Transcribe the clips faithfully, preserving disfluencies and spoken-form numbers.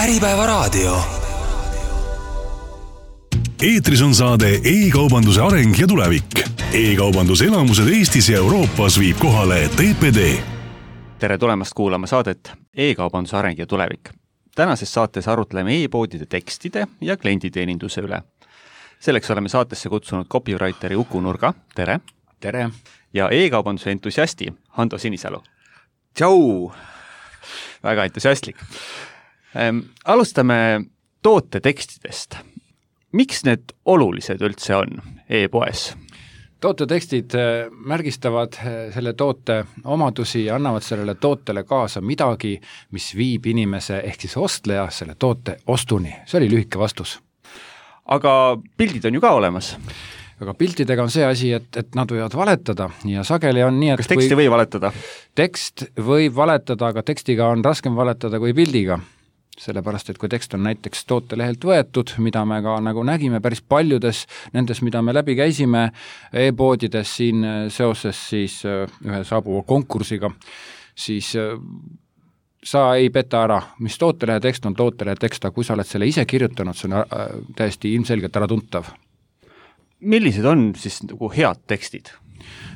Äripäevaraadio. Eetris on saade e-kaubanduse areng ja tulevik. E-kaubanduse elamused Eestis ja Euroopas viib kohale T P D. Tere tulemast kuulama saadet E-kaubanduse areng ja tulevik. Tänases saates arutleme e-poodide tekstide ja klienditeeninduse üle. Selleks oleme saatesse kutsunud copywriteri Uku Nurga, tere. Tere. Ja e-kaubanduse entusiasti Hando Sinisalu. Tšau. Väga entusiastlik. Ähm, alustame toote tekstidest. Miks need olulised üldse on e-poes? Toote tekstid märgistavad selle toote omadusi ja annavad sellele tootele kaasa midagi, mis viib inimese ehk siis ostleja selle toote ostuni. See oli lühike vastus. Aga pildid on ju ka olemas. Aga piltidega on see asi, et, et nad võivad valetada ja sageli on nii, et kas teksti või valetada? Tekst võib valetada, aga tekstiga on raskem valetada kui pildiga. Sellepärast, et kui tekst on näiteks tootelehelt võetud, mida me ka nagu nägime päris paljudes nendes, mida me läbi käisime e-poodides siin seoses siis ühe saabuva konkursiga, siis sa ei peta ära, mis tootelehe tekst on tootelehe tekst, aga kui sa oled selle ise kirjutanud, see on täiesti ilmselgelt ära tuntav. Millised on siis nagu head tekstid?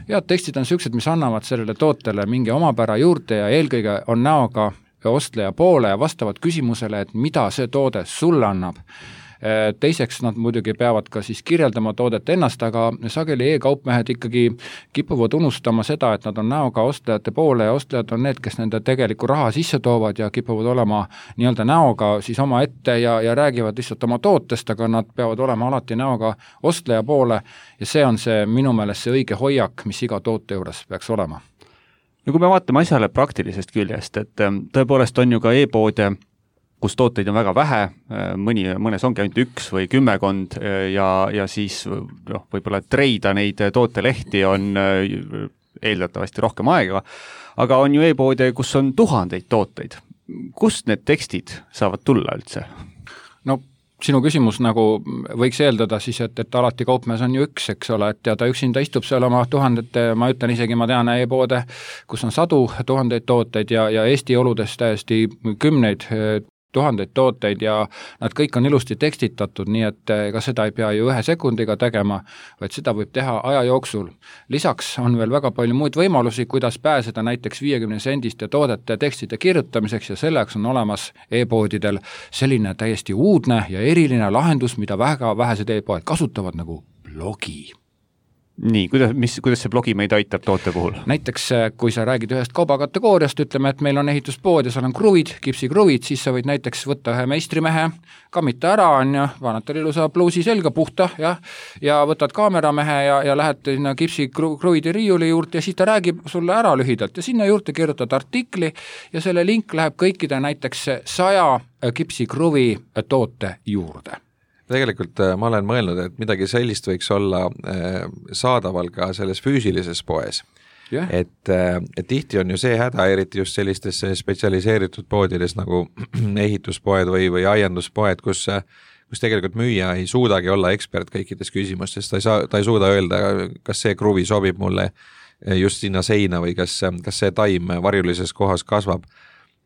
Head tekstid on sellised, mis annavad sellele tootele mingi omapära juurde ja eelkõige on näoga ostleja poole ja vastavad küsimusele, et mida see toode sulle annab. Teiseks nad muidugi peavad ka siis kirjeldama toodet ennast, aga sageli e-kaupmehed ikkagi kipuvad unustama seda, et nad on näoga ostlejate poole ja ostlejad on need, kes nende tegeliku raha sisse toovad ja kipuvad olema nii-öelda näoga siis oma ette ja, ja räägivad lihtsalt oma tootest, aga nad peavad olema alati näoga ostleja poole ja see on see minu meelest see õige hoiak, mis iga toote juures peaks olema. No kui me vaatame asjale praktilisest küljest, et tõepoolest on ju ka e-poode, kus tooteid on väga vähe, mõni, mõnes ongi ainult üks või kümmekond ja, ja siis noh, võib-olla treida neid tootelehti on eeldatavasti rohkem aega, aga on ju e-poode, kus on tuhandeid tooteid. Kust need tekstid saavad tulla üldse? No sinu küsimus nagu võiks eeldada siis, et, et alati kaupmees on ju üks, eks ole, et ja ta üksinda istub seal oma tuhandete, ma ütlen isegi, ma tean e-poode, kus on sadu tuhandeid tooteid ja, ja Eesti oludes täiesti kümneid tuhandeid tooteid ja nad kõik on ilusti tekstitatud, nii et ega seda ei pea ju ühe sekundiga tegema, vaid seda võib teha aja jooksul. Lisaks on veel väga palju muid võimalusi, kuidas pääseda näiteks viiekümne sendiste toodete tekstide kirjutamiseks ja selleks on olemas e-poodidel selline täiesti uudne ja eriline lahendus, mida väga vähesed e-poed kasutavad nagu blogi. Nii, kuidas, mis, kuidas see blogi meid aitab toote puhul? Näiteks, kui sa räägid ühest kaubakategooriast, ütleme, et meil on ehituspood ja seal on kruvid, kipsikruvid, siis sa võid näiteks võtta ühe meistrimehe, kammita ära, on ja paned tal ilusa pluusi selga puhta ja, ja võtad kaameramehe ja, ja lähed sinna kipsikruvide riiuli juurde ja siis ta räägib sulle ära lühidalt ja sinna juurde kirjutad artikli ja selle link läheb kõikide näiteks saja kipsikruvi toote juurde. Tegelikult ma olen mõelnud, et midagi sellist võiks olla saadaval ka selles füüsilises poes. Yeah. Et, et tihti on ju see häda, eriti just sellistes spetsialiseeritud poodides nagu ehituspoed või, või aianduspoed, kus, kus tegelikult müüja ei suudagi olla ekspert kõikides küsimustes, ta ei, saa, ta ei suuda öelda, kas see kruvi sobib mulle just sinna seina või kas, kas see taim varjulises kohas kasvab.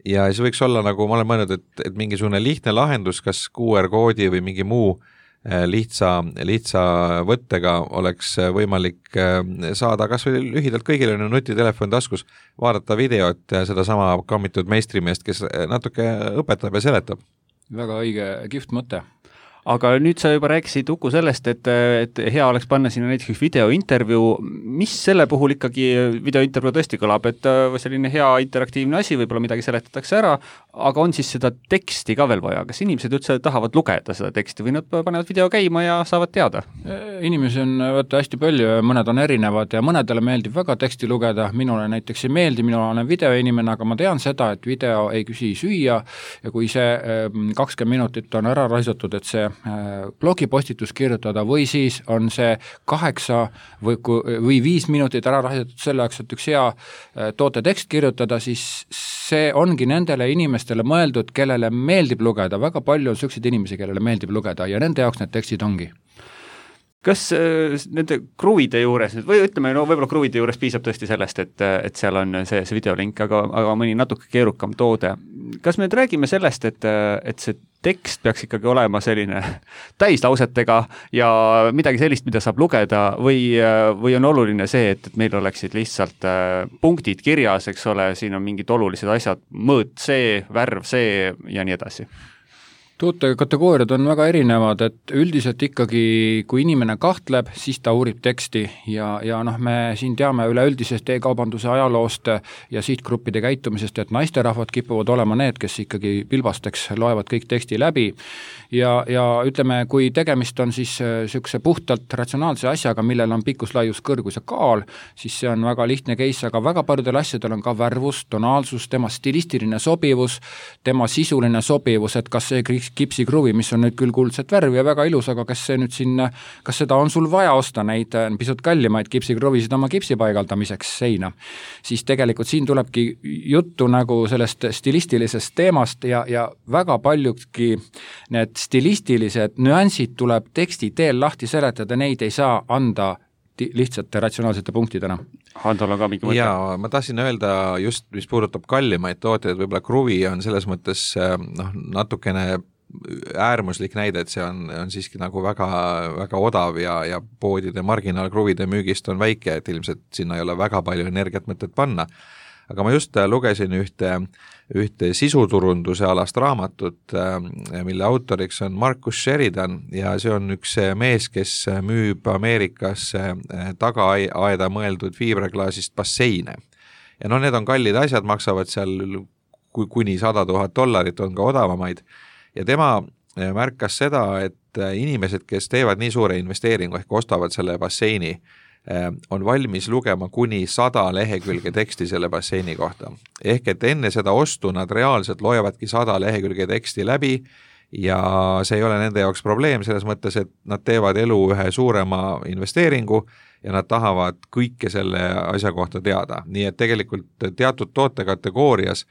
Ja see võiks olla, nagu ma olen mõelnud, et, et mingisugune lihtne lahendus, kas Q R-koodi või mingi muu lihtsa, lihtsa võttega oleks võimalik saada kas või lühidalt kõigile nutitelefoni taskus, vaadata videot ja seda sama kammitud meistrimeest, kes natuke õpetab ja seletab. Väga õige, kihvt mõte. Aga nüüd sa juba rääkisid Uku sellest, et, et hea oleks panna sinna näiteks videointervjuu. Mis selle puhul ikkagi videointervjuu tõesti kõlab, et selline hea interaktiivne asi, võib-olla midagi seletatakse ära, aga on siis seda teksti ka veel vaja? Kas inimesed üldse tahavad lugeda seda teksti või nad panevad video käima ja saavad teada? Inimesi on võtta hästi palju ja mõned on erinevad ja mõnedele meeldib väga teksti lugeda, minule näiteks ei meeldi, minul olen videoinimene, aga ma tean seda, et video ei küsi süüa ja kui see kakskümmend minutit on ära raisatud, et see blogipostitus kirjutada või siis on see kaheksa või, või viis minutit ära raisatud selle jaoks, et üks hea toote tekst kirjutada, siis see ongi nendele inimestele mõeldud, kellele meeldib lugeda, väga palju on selliseid inimesi, kellele meeldib lugeda ja nende jaoks need tekstid ongi. kas äh, nende kruvide juures nüüd, või ütleme, no võib-olla kruvide juures piisab tõesti sellest, et, et seal on see, see videolink, aga, aga mõni natuke keerukam toode. Kas me nüüd räägime sellest, et, et see tekst peaks ikkagi olema selline täislausetega ja midagi sellist, mida saab lugeda, või, või on oluline see, et, et meil oleksid lihtsalt punktid kirjas, eks ole, siin on mingid olulised asjad, mõõt see, värv see ja nii edasi? Toote kategooriad on väga erinevad, et üldiselt ikkagi, kui inimene kahtleb, siis ta uurib teksti ja, ja noh, me siin teame üleüldisest e-kaubanduse ajaloost ja sihtgruppide käitumisest, et naisterahvad kipuvad olema need, kes ikkagi pilbasteks loevad kõik teksti läbi ja, ja ütleme, kui tegemist on siis niisuguse puhtalt ratsionaalse asjaga, millel on pikkus, laius, kõrgus ja kaal, siis see on väga lihtne case, aga väga paljudel asjadel on ka värvus, tonaalsus, tema stilistiline sobivus, tema sisuline sobivus, et kas see kipsikruvi, mis on nüüd küll kuldset värvi ja väga ilus, aga kas see nüüd siin, kas seda on sul vaja osta neid pisut kallimaid kipsikruvisid oma kipsi paigaldamiseks seina, siis tegelikult siin tulebki juttu nagu sellest stilistilisest teemast ja, ja väga paljudki need stilistilised nüansid tuleb teksti teel lahti seletada, neid ei saa anda lihtsate ratsionaalsete punktidena. Handol on ka mingi mõte? Jaa, ma tahtsin öelda just, mis puudutab kallimaid tooteid, võib-olla kruvi on selles mõttes noh, natukene äärmuslik näide, et see on, on siiski nagu väga, väga odav ja, ja poodide marginaalkruvide müügist on väike, et ilmselt sinna ei ole väga palju energiat mõtet panna. Aga ma just lugesin ühte, ühte sisuturunduse alast raamatut, mille autoriks on Marcus Sheridan ja see on üks mees, kes müüb Ameerikas tagaaeda mõeldud fiibraklaasist basseine. Ja no need on kallid asjad, maksavad seal kuni sada tuhat dollarit, on ka odavamaid. Ja tema märkas seda, et inimesed, kes teevad nii suure investeeringu ehk ostavad selle basseini, on valmis lugema kuni sada lehekülge teksti selle basseini kohta. Ehk et enne seda ostu nad reaalselt loevadki sada lehekülge teksti läbi ja see ei ole nende jaoks probleem selles mõttes, et nad teevad elu ühe suurema investeeringu ja nad tahavad kõike selle asja kohta teada. Nii et tegelikult teatud tootekategoorias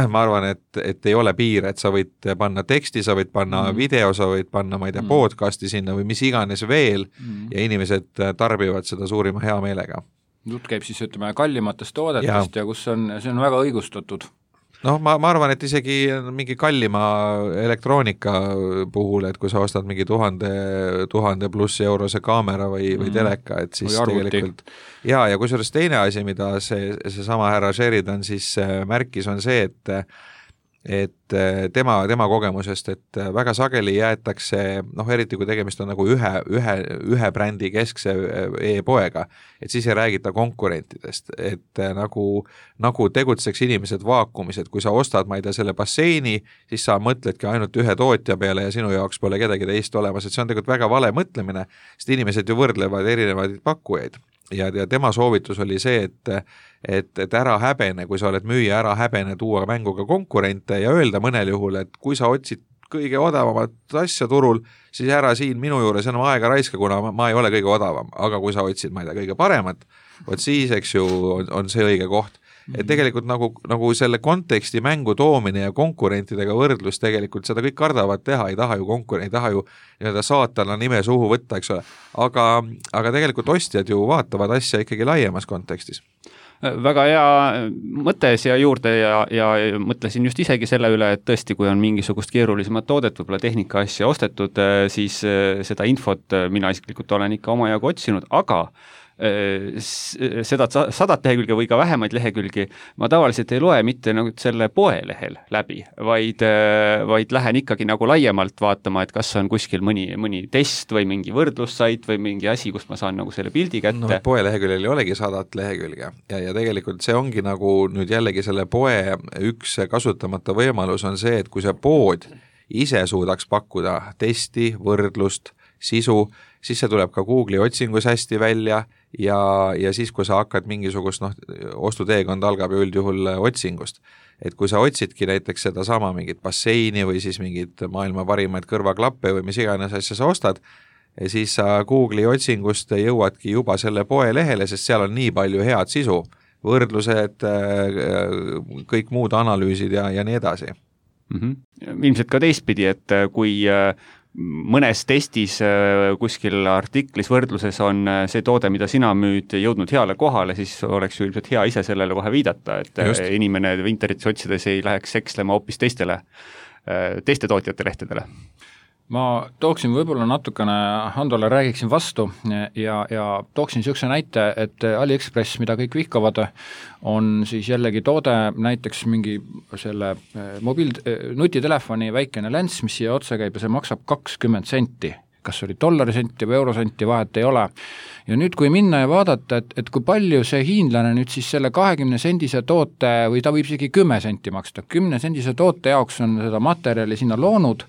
ma arvan, et, et ei ole piir, et sa võid panna teksti, sa võid panna mm. video, sa võid panna, ma ei tea, mm. podcasti sinna või mis iganes veel mm. ja inimesed tarbivad seda suurima hea meelega. Jutt käib siis, ütleme, kallimatest toodetest ja, ja kus on, see on väga õigustatud. Noh, ma, ma arvan, et isegi mingi kallima elektroonika puhul, et kui sa ostad mingi tuhande, tuhande pluss eurose kaamera või, või teleka, et siis tegelikult ja, ja kusjuures teine asi, mida see, see sama härra Sheridan siis märkis, on see, et et tema, tema kogemusest, et väga sageli jäetakse, noh eriti kui tegemist on nagu ühe, ühe, ühe brändi keskse e-poega, et siis ei räägita konkurentidest, et nagu, nagu tegutseks inimesed vaakumis, et kui sa ostad, ma ei tea, selle basseini, siis sa mõtledki ainult ühe tootja peale ja sinu jaoks pole kedagi teist olemas, et see on tegelikult väga vale mõtlemine, sest inimesed ju võrdlevad erinevaid pakkujaid. Ja, ja tema soovitus oli see, et, et, et ära häbene, kui sa oled müüja, ära häbene tuua mängu ka konkurente ja öelda mõnel juhul, et kui sa otsid kõige odavamat asja turul, siis ära siin minu juures enam aega raiska, kuna ma, ma ei ole kõige odavam, aga kui sa otsid, ma ei tea, kõige paremat, vot siis, eks ju, on, on see õige koht. Et tegelikult nagu, nagu selle konteksti mängu toomine ja konkurentidega võrdlus tegelikult seda kõik kardavad teha, ei taha ju konkurent, ei taha ju nii-öelda saatana nime suhu võtta, eks ole, aga, aga tegelikult ostjad ju vaatavad asja ikkagi laiemas kontekstis. Väga hea mõte siia juurde ja, ja mõtlesin just isegi selle üle, et tõesti, kui on mingisugust keerulisemat toodet, võib-olla tehnika asja ostetud, siis seda infot mina isiklikult olen ikka omajagu otsinud, aga seda sadat lehekülge või ka vähemaid lehekülgi ma tavaliselt ei loe mitte nagu selle poe lehel läbi, vaid, vaid lähen ikkagi nagu laiemalt vaatama, et kas on kuskil mõni, mõni test või mingi võrdlussait või mingi asi, kust ma saan nagu selle pildi kätte. No, poe leheküljel ei olegi sadat lehekülge ja, ja tegelikult see ongi nagu nüüd jällegi selle poe üks kasutamata võimalus on see, et kui see pood ise suudaks pakkuda testi, võrdlust, sisu, siis see tuleb ka Google'i otsingus hästi välja ja, ja siis, kui sa hakkad mingisugust, noh, ostuteekond algab ju üldjuhul otsingust. Et kui sa otsidki näiteks seda sama mingit basseini või siis mingit maailma parimaid kõrvaklappe või mis iganes asja sa ostad, siis sa Google'i otsingust jõuadki juba selle poe lehele, sest seal on nii palju head sisu, võrdlused, kõik muud analüüsid ja, ja nii edasi. Mm-hmm. Ilmselt ka teistpidi, et kui mõnes testis kuskil artiklis võrdluses on see toode, mida sina müüd, jõudnud heale kohale, siis oleks ju ilmselt hea ise sellele kohe viidata, et Just. inimene internetis otsides ei läheks ekslema hoopis teistele, teiste tootjate lehtedele. Ma tooksin võib-olla natukene, Handole räägiksin vastu ja, ja tooksin niisuguse näite, et AliExpress, mida kõik vihkavad, on siis jällegi toode, näiteks mingi selle mobiil, nutitelefoni väikene lens, mis siia otsa käib ja see maksab kakskümmend senti, kas oli dollarisenti või eurosenti, vahet ei ole. Ja nüüd, kui minna ja vaadata, et, et kui palju see hiinlane nüüd siis selle kahekümne sendise toote, või ta võib isegi kümme senti maksta, kümne sendise toote jaoks on seda materjali sinna loonud,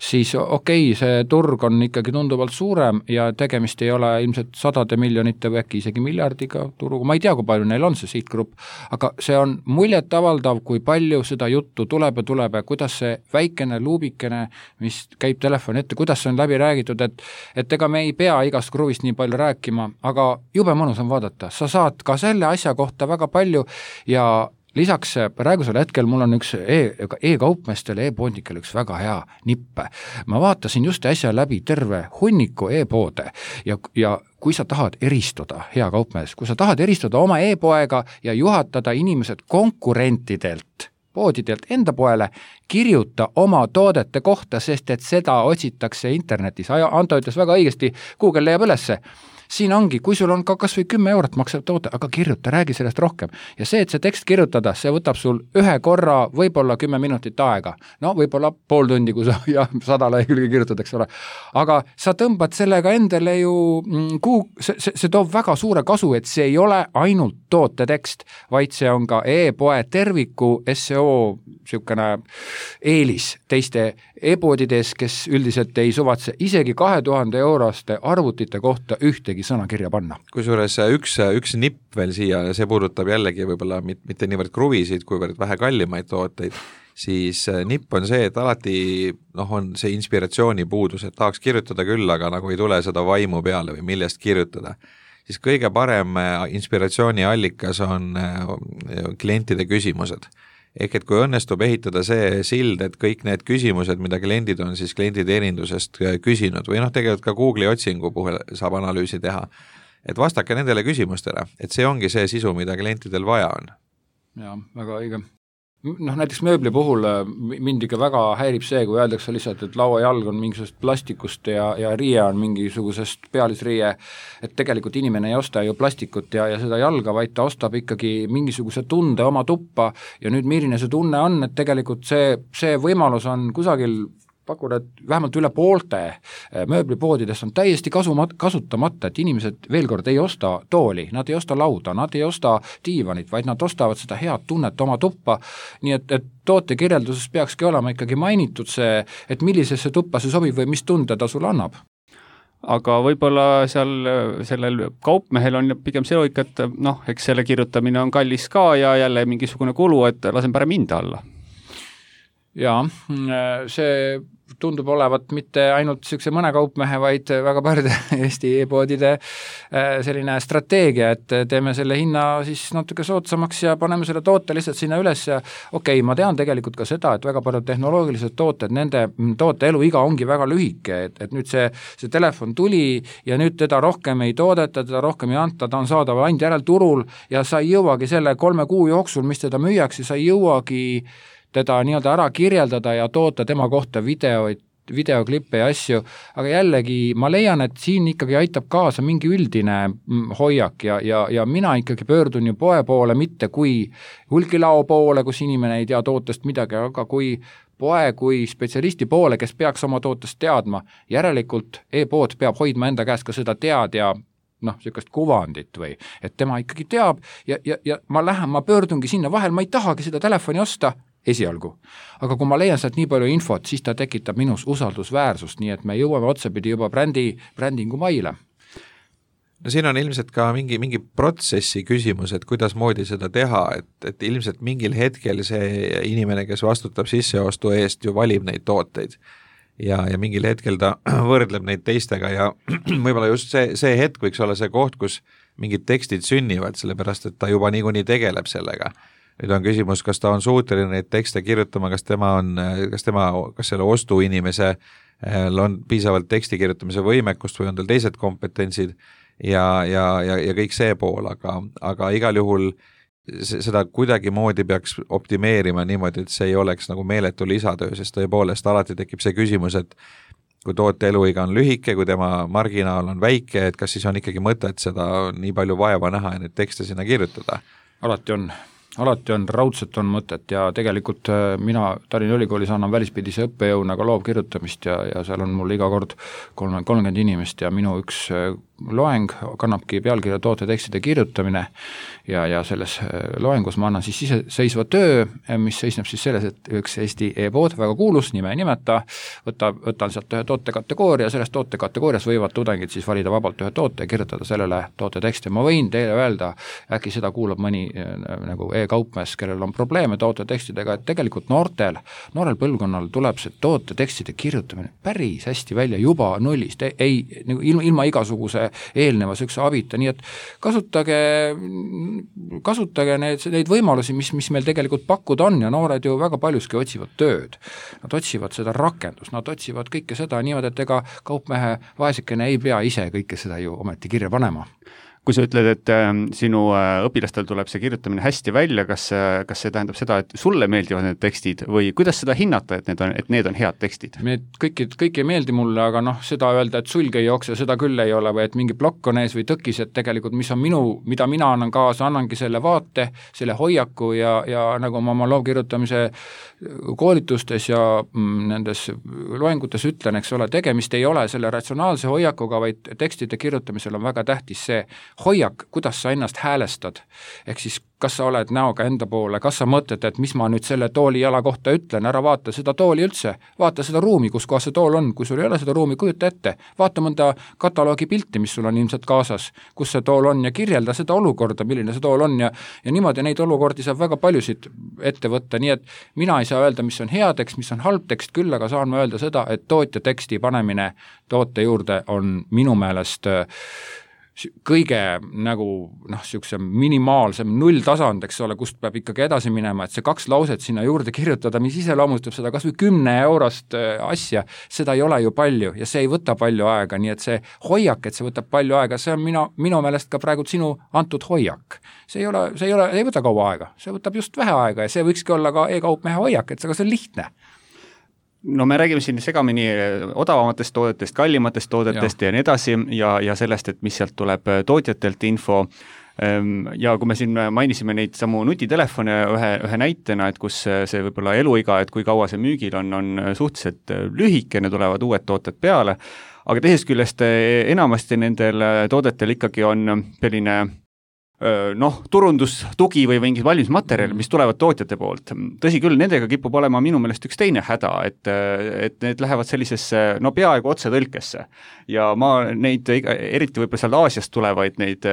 siis okei, okay, see turg on ikkagi tunduvalt suurem ja tegemist ei ole ilmselt sadade miljonite või äkki isegi miljardiga turuga, ma ei tea, kui palju neil on see sihtgrupp, aga see on muljet avaldav, kui palju seda juttu tuleb ja tuleb ja kuidas see väikene luubikene, mis käib telefoni ette, kuidas see on läbi räägitud, et, et ega me ei pea igast kruvist nii palju rääkima, aga jube mõnus on vaadata, sa saad ka selle asja kohta väga palju ja lisaks praegusel hetkel mul on üks e- e-kaupmeestele, e-poodnikele üks väga hea nippe. Ma vaatasin just äsja läbi terve hunniku e-poode ja, ja kui sa tahad eristuda, hea kaupmees, kui sa tahad eristuda oma e-poega ja juhatada inimesed konkurentidelt, poodidelt enda poele, kirjuta oma toodete kohta, sest et seda otsitakse internetis. Anto ütles väga õigesti, Google leiab ülesse. Siin ongi, kui sul on ka kas või kümme eurot maksav toote, aga kirjuta, räägi sellest rohkem. Ja see, et see tekst kirjutada, see võtab sul ühe korra võib-olla kümme minutit aega. No võib-olla pool tundi, kui sa ja, sada lehekülge kirjutad, eks ole. Aga sa tõmbad sellega endale ju, kuu, see, see, see toob väga suure kasu, et see ei ole ainult tootetekst, vaid see on ka e-poe terviku S E O siukene eelis teiste e-poodides, kes üldiselt ei suvatse isegi kahe tuhande euroste arvutite kohta ühtegi sõna kirja panna. Kusjuures üks, üks nipp veel siia, see puudutab jällegi võib-olla mitte niivõrd kruvisid, kuivõrd vähe kallimaid tooteid, siis nipp on see, et alati noh, on see inspiratsiooni puudus, et tahaks kirjutada küll, aga nagu ei tule seda vaimu peale või millest kirjutada. Siis kõige parem inspiratsiooni allikas on klientide küsimused. Ehk et kui õnnestub ehitada see sild, et kõik need küsimused, mida kliendid on siis klienditeenindusest küsinud või noh, tegelikult ka Google'i otsingu puhul saab analüüsi teha, et vastake nendele küsimustele, et see ongi see sisu, mida klientidel vaja on. Jaa, väga õige. Noh, näiteks mööbli puhul mind ikka väga häirib see, kui öeldakse lihtsalt, et lauajalg on mingisugusest plastikust ja, ja riie on mingisugusest pealisriie, et tegelikult inimene ei osta ju plastikut ja, ja seda jalga, vaid ta ostab ikkagi mingisuguse tunde oma tuppa ja nüüd milline see tunne on, et tegelikult see, see võimalus on kusagil pakun, et vähemalt üle poolte mööblipoodidest on täiesti kasumat, kasutamata, et inimesed veel kord ei osta tooli, nad ei osta lauda, nad ei osta diivanit, vaid nad ostavad seda head tunnet oma tuppa, nii et, et tootekirjelduses peakski olema ikkagi mainitud see, et millisesse tuppa see sobib või mis tunde ta sulle annab. Aga võib-olla seal sellel kaupmehel on pigem see loogika, et noh, eks selle kirjutamine on kallis ka ja jälle mingisugune kulu, et lasen parem hinda alla. Jaa, see tundub olevat mitte ainult niisuguse mõne kaupmehe, vaid väga paljude Eesti e-poodide selline strateegia, et teeme selle hinna siis natuke soodsamaks ja paneme selle toote lihtsalt sinna üles ja okei, okay, ma tean tegelikult ka seda, et väga paljud tehnoloogilised tooted, nende toote eluiga ongi väga lühike, et, et nüüd see, see telefon tuli ja nüüd teda rohkem ei toodeta, teda rohkem ei anta, ta on saadaval ainult järelturul ja sa ei jõuagi selle kolme kuu jooksul, mis teda müüakse, sa ei jõuagi teda nii-öelda ära kirjeldada ja toota tema kohta videoid, videoklippe ja asju, aga jällegi ma leian, et siin ikkagi aitab kaasa mingi üldine hoiak ja, ja, ja mina ikkagi pöördun ju poe poole, mitte kui hulgilao poole, kus inimene ei tea tootest midagi, aga kui poe kui spetsialisti poole, kes peaks oma tootest teadma, järelikult e-pood peab hoidma enda käest ka seda tead ja noh, niisugust kuvandit või, et tema ikkagi teab ja, ja, ja ma lähen, ma pöördungi sinna vahel, ma ei tahagi seda telefoni osta, esialgu. Aga kui ma leian sealt nii palju infot, siis ta tekitab minus usaldusväärsust, nii et me jõuame otsapidi juba brändi, brändingu maile. No siin on ilmselt ka mingi, mingi protsessi küsimus, et kuidas moodi seda teha, et, et ilmselt mingil hetkel see inimene, kes vastutab sisseostu eest, ju valib neid tooteid ja, ja mingil hetkel ta võrdleb neid teistega ja võib-olla just see, see hetk võiks olla see koht, kus mingid tekstid sünnivad, sellepärast et ta juba niikuinii tegeleb sellega. Nüüd on küsimus, kas ta on suuteline neid tekste kirjutama, kas tema on, kas tema, kas selle ostuinimese on piisavalt teksti kirjutamise võimekust või on tal teised kompetentsid ja, ja, ja, ja kõik see pool, aga, aga igal juhul seda kuidagimoodi peaks optimeerima niimoodi, et see ei oleks nagu meeletu lisatöö, sest tõepoolest alati tekib see küsimus, et kui toote eluiga on lühike, kui tema marginaal on väike, et kas siis on ikkagi mõtet seda nii palju vaeva näha ja neid tekste sinna kirjutada? Alati on. Alati on, raudselt on mõtet ja tegelikult mina Tallinna Ülikoolis annan välispidise õppejõuna ka loovkirjutamist ja, ja seal on mul iga kord kolmkümmend inimest ja minu üks loeng kannabki pealkirja tootetekstide kirjutamine ja, ja selles loengus ma annan siis iseseisva töö, mis seisneb siis selles, et üks Eesti e-pood, väga kuulus, nime ei nimeta, võtab, võtan sealt ühe tootekategooria, sellest tootekategoorias võivad tudengid siis valida vabalt ühe toote ja kirjutada sellele tooteteksti. Ma võin teile öelda, äkki seda kuulab mõni nagu e-kaupmees, kellel on probleeme tootetekstidega, et tegelikult noortel, noorel põlvkonnal tuleb see tootetekstide kirjutamine päris hästi välja juba nullist, ei, ilma, ilma igasuguse eelneva sükse abita, nii et kasutage, kasutage need, neid võimalusi, mis, mis meil tegelikult pakkuda on ja noored ju väga paljuski otsivad tööd. Nad otsivad seda rakendust, nad otsivad kõike seda niimoodi, et ega kaupmehe vaesekene ei pea ise kõike seda ju ometi kirja panema. Kui sa ütled, et äh, sinu äh, õpilastel tuleb see kirjutamine hästi välja, kas, äh, kas see tähendab seda, et sulle meeldivad need tekstid või kuidas seda hinnata, et need on, et need on head tekstid? Kõik, kõik ei meeldi mulle, aga noh, seda öelda, et sulg ei jookse, seda küll ei ole või et mingi plokk on ees või tõkis, et tegelikult mis on minu, mida mina annan kaasa, annangi selle vaate, selle hoiaku ja, ja nagu ma oma loovkirjutamise koolitustes ja mm, nendes loengutes ütlen, eks ole, tegemist ei ole selle ratsionaalse hoiakuga, vaid tekstide kirjutamisel on väga tähtis see hoiak, kuidas sa ennast häälestad, ehk siis kas sa oled näoga enda poole, kas sa mõtled, et mis ma nüüd selle tooli jala kohta ütlen, ära vaata seda tooli üldse, vaata seda ruumi, kus kohas see tool on, kui sul ei ole seda ruumi, kujuta ette, vaata mõnda kataloogi pilti, mis sul on ilmselt kaasas, kus see tool on ja kirjelda seda olukorda, milline see tool on ja, ja niimoodi neid olukordi saab väga paljusid ette võtta, nii et mina ei saa öelda, mis on hea tekst, mis on halb tekst, küll aga saan ma öelda seda, et tootja teksti panemine toote juurde on minu meelest kõige nagu noh, niisuguse minimaalsem nulltasand, eks ole, kust peab ikkagi edasi minema, et see kaks lauset sinna juurde kirjutada, mis iseloomustab seda kas või kümne eurost asja, seda ei ole ju palju ja see ei võta palju aega, nii et see hoiak, et see võtab palju aega, see on minu, minu meelest ka praegu sinu antud hoiak. See ei ole, see ei ole, ei võta kaua aega, see võtab just vähe aega ja see võikski olla ka e-kaupmehe hoiak, et see, see on lihtne. No me räägime siin segamini odavamatest toodetest, kallimatest toodetest ja, ja nii edasi ja, ja sellest, et mis sealt tuleb tootjatelt info ja kui me siin mainisime neid samu nutitelefone ühe, ühe näitena, et kus see võib-olla eluiga, et kui kaua see müügil on, on suhteliselt lühike, ne tulevad uued tooted peale, aga teisest küljest enamasti nendel toodetel ikkagi on selline noh, turundustugi või mingid valmismaterjal, mis tulevad tootjate poolt. Tõsi küll, nendega kipub olema minu meelest üks teine häda, et, et need lähevad sellisesse, no peaaegu otse tõlkesse. Ja ma neid, eriti võib-olla seal Aasiast tulevaid neid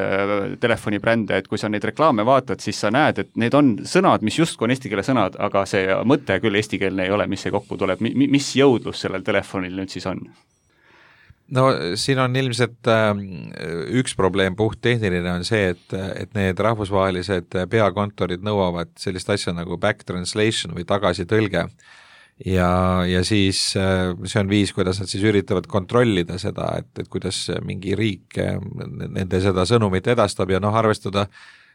telefonibrände, et kui sa neid reklaame vaatad, siis sa näed, et need on sõnad, mis justkui on eesti keele sõnad, aga see mõte küll eestikeelne ei ole, mis see kokku tuleb. Mis jõudlus sellel telefonil nüüd siis on? No siin on ilmselt äh, üks probleem puht tehniline on see, et, et need rahvusvahelised peakontorid nõuavad sellist asja nagu back translation või tagasitõlge ja, ja siis äh, see on viis, kuidas nad siis üritavad kontrollida seda, et, et kuidas mingi riik äh, nende seda sõnumit edastab ja noh, arvestada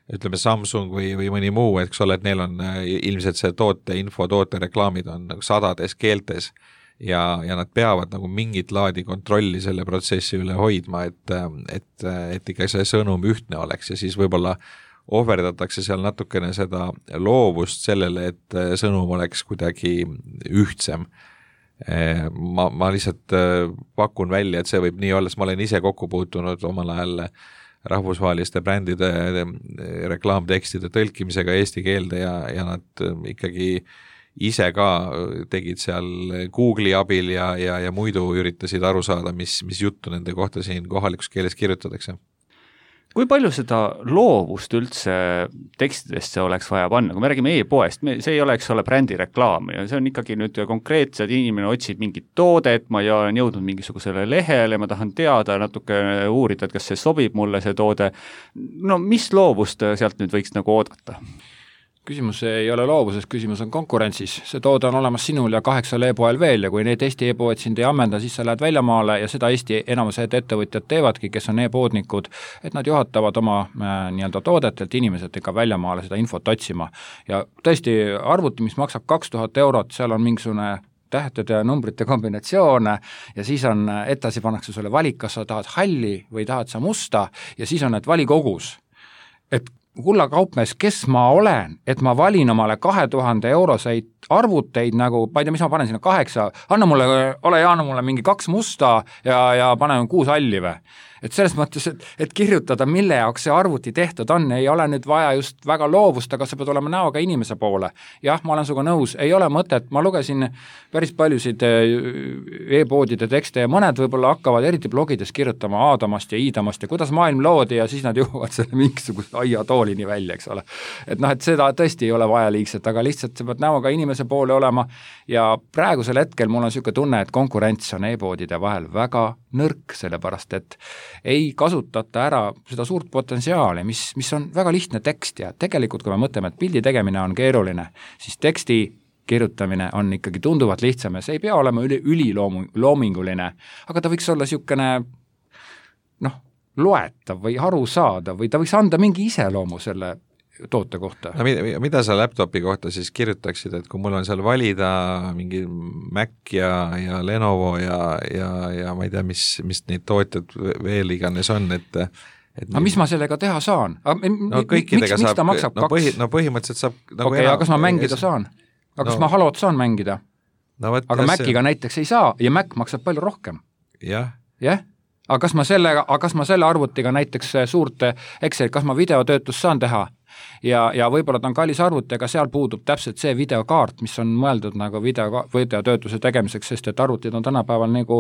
ütleme Samsung või, või mõni muu, eks ole, et neil on äh, ilmselt see toote info, toote reklaamid on nagu sadades keeltes ja, ja nad peavad nagu mingit laadi kontrolli selle protsessi üle hoidma, et, et, et ikka see sõnum ühtne oleks ja siis võib-olla ohverdatakse seal natukene seda loovust sellele, et sõnum oleks kuidagi ühtsem. Ma, ma lihtsalt pakun välja, et see võib nii olla, sest ma olen ise kokku puutunud omal ajal rahvusvaheliste brändide reklaamtekstide tõlkimisega eesti keelde ja, ja nad ikkagi ise ka tegid seal Google'i abil ja, ja, ja muidu üritasid aru saada, mis, mis juttu nende kohta siin kohalikus keeles kirjutatakse. Kui palju seda loovust üldse tekstidesse oleks vaja panna, kui me räägime e-poest, see ei ole, eks ole, brändi reklaam ja see on ikkagi nüüd konkreetselt, inimene otsib mingit toodet, ma ei ole jõudnud mingisugusele lehele, ma tahan teada natuke uurida, et kas see sobib mulle see toode, no mis loovust sealt nüüd võiks nagu oodata? küsimus ei ole loovuses, küsimus on konkurentsis. See toode on olemas sinul ja kaheksal e-poel veel ja kui need Eesti e-poed sind ei ammenda, siis sa lähed väljamaale ja seda Eesti enamused ettevõtjad teevadki, kes on e-poodnikud, et nad juhatavad oma äh, nii-öelda toodetelt inimesed ikka väljamaale seda infot otsima. Ja tõesti arvuti, mis maksab kaks tuhat eurot, seal on mingisugune tähtede ja numbrite kombinatsioone ja siis on, edasi pannakse sulle valik, kas sa tahad halli või tahad sa musta ja siis on need valikogus. Et kulla kaupmees, kes ma olen, et ma valin omale kahe tuhande euroseid arvuteid nagu, ma ei tea, mis ma panen sinna kaheksa, anna mulle, ole hea, anna mulle mingi kaks musta ja, ja panen kuus halli või. Et selles mõttes, et, et kirjutada, mille jaoks see arvuti tehtud on, ei ole nüüd vaja just väga loovust, aga sa pead olema näoga inimese poole. Jah, ma olen suga nõus, ei ole mõtet, ma lugesin päris paljusid e-poodide tekste ja mõned võib-olla hakkavad eriti blogides kirjutama Aadamast ja Iidamast ja kuidas maailm loodi ja siis nad jõuavad selle mingisuguse aiatoolini välja, eks ole. Et noh, et seda tõesti ei ole vaja liigselt, aga lihtsalt sa pead näoga inimese poole olema ja praegusel hetkel mul on niisugune tunne, et konkurents on e-poodide vahel väga nõrk, sellepärast et ei kasutata ära seda suurt potentsiaali, mis, mis on väga lihtne tekst ja tegelikult kui me mõtleme, et pildi tegemine on keeruline, siis teksti kirjutamine on ikkagi tunduvalt lihtsam ja see ei pea olema üli, üliloominguline, aga ta võiks olla niisugune noh, loetav või arusaadav või ta võiks anda mingi iseloomu selle toote kohta. No, mida, mida sa laptopi kohta siis kirjutaksid, et kui mul on seal valida mingi Mac ja, ja Lenovo ja, ja, ja ma ei tea, mis, mis neid tootjad veel iganes on, et et aga mis ma sellega teha saan? No kõikidega miks, saab, miks no, põhi, no põhimõtteliselt saab nagu okei, aga kas ma mängida saan? Aga kas no, ma Halot saan mängida? No, võt, aga Maciga see... näiteks ei saa ja Mac maksab palju rohkem. Jah. Jah? Aga kas ma selle, aga kas ma selle arvutiga näiteks suurt Excel, kas ma videotöötust saan teha? Ja, ja võib-olla ta on kallis arvuti, aga seal puudub täpselt see videokaart, mis on mõeldud nagu video, videotöötuse tegemiseks, sest et arvutid on tänapäeval nagu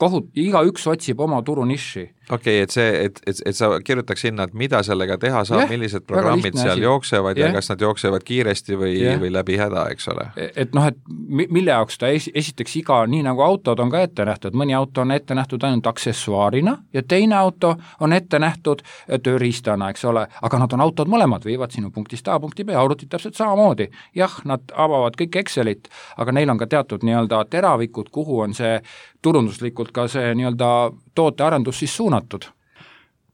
kohut, iga üks otsib oma turu niši. Okei, okay, et see, et, et, et sa kirjutaks sinna, et mida sellega teha saab, yeah, millised programmid seal asi. jooksevad yeah. ja kas nad jooksevad kiiresti või, yeah. või läbi häda, eks ole. Et noh, et mille jaoks ta es, esiteks iga, nii nagu autod on ka ette nähtud, mõni auto on ette nähtud ainult aksessuaarina ja teine auto on ette nähtud tööriistana, eks ole, aga nad on autod mõlemad, viivad sinu punktist A punkti B, arvutid täpselt samamoodi. Jah, nad avavad kõik Excelit, aga neil on ka teatud nii-öelda teravikud, kuhu on see turunduslikult ka see nii-öelda tootearendus siis suunatud.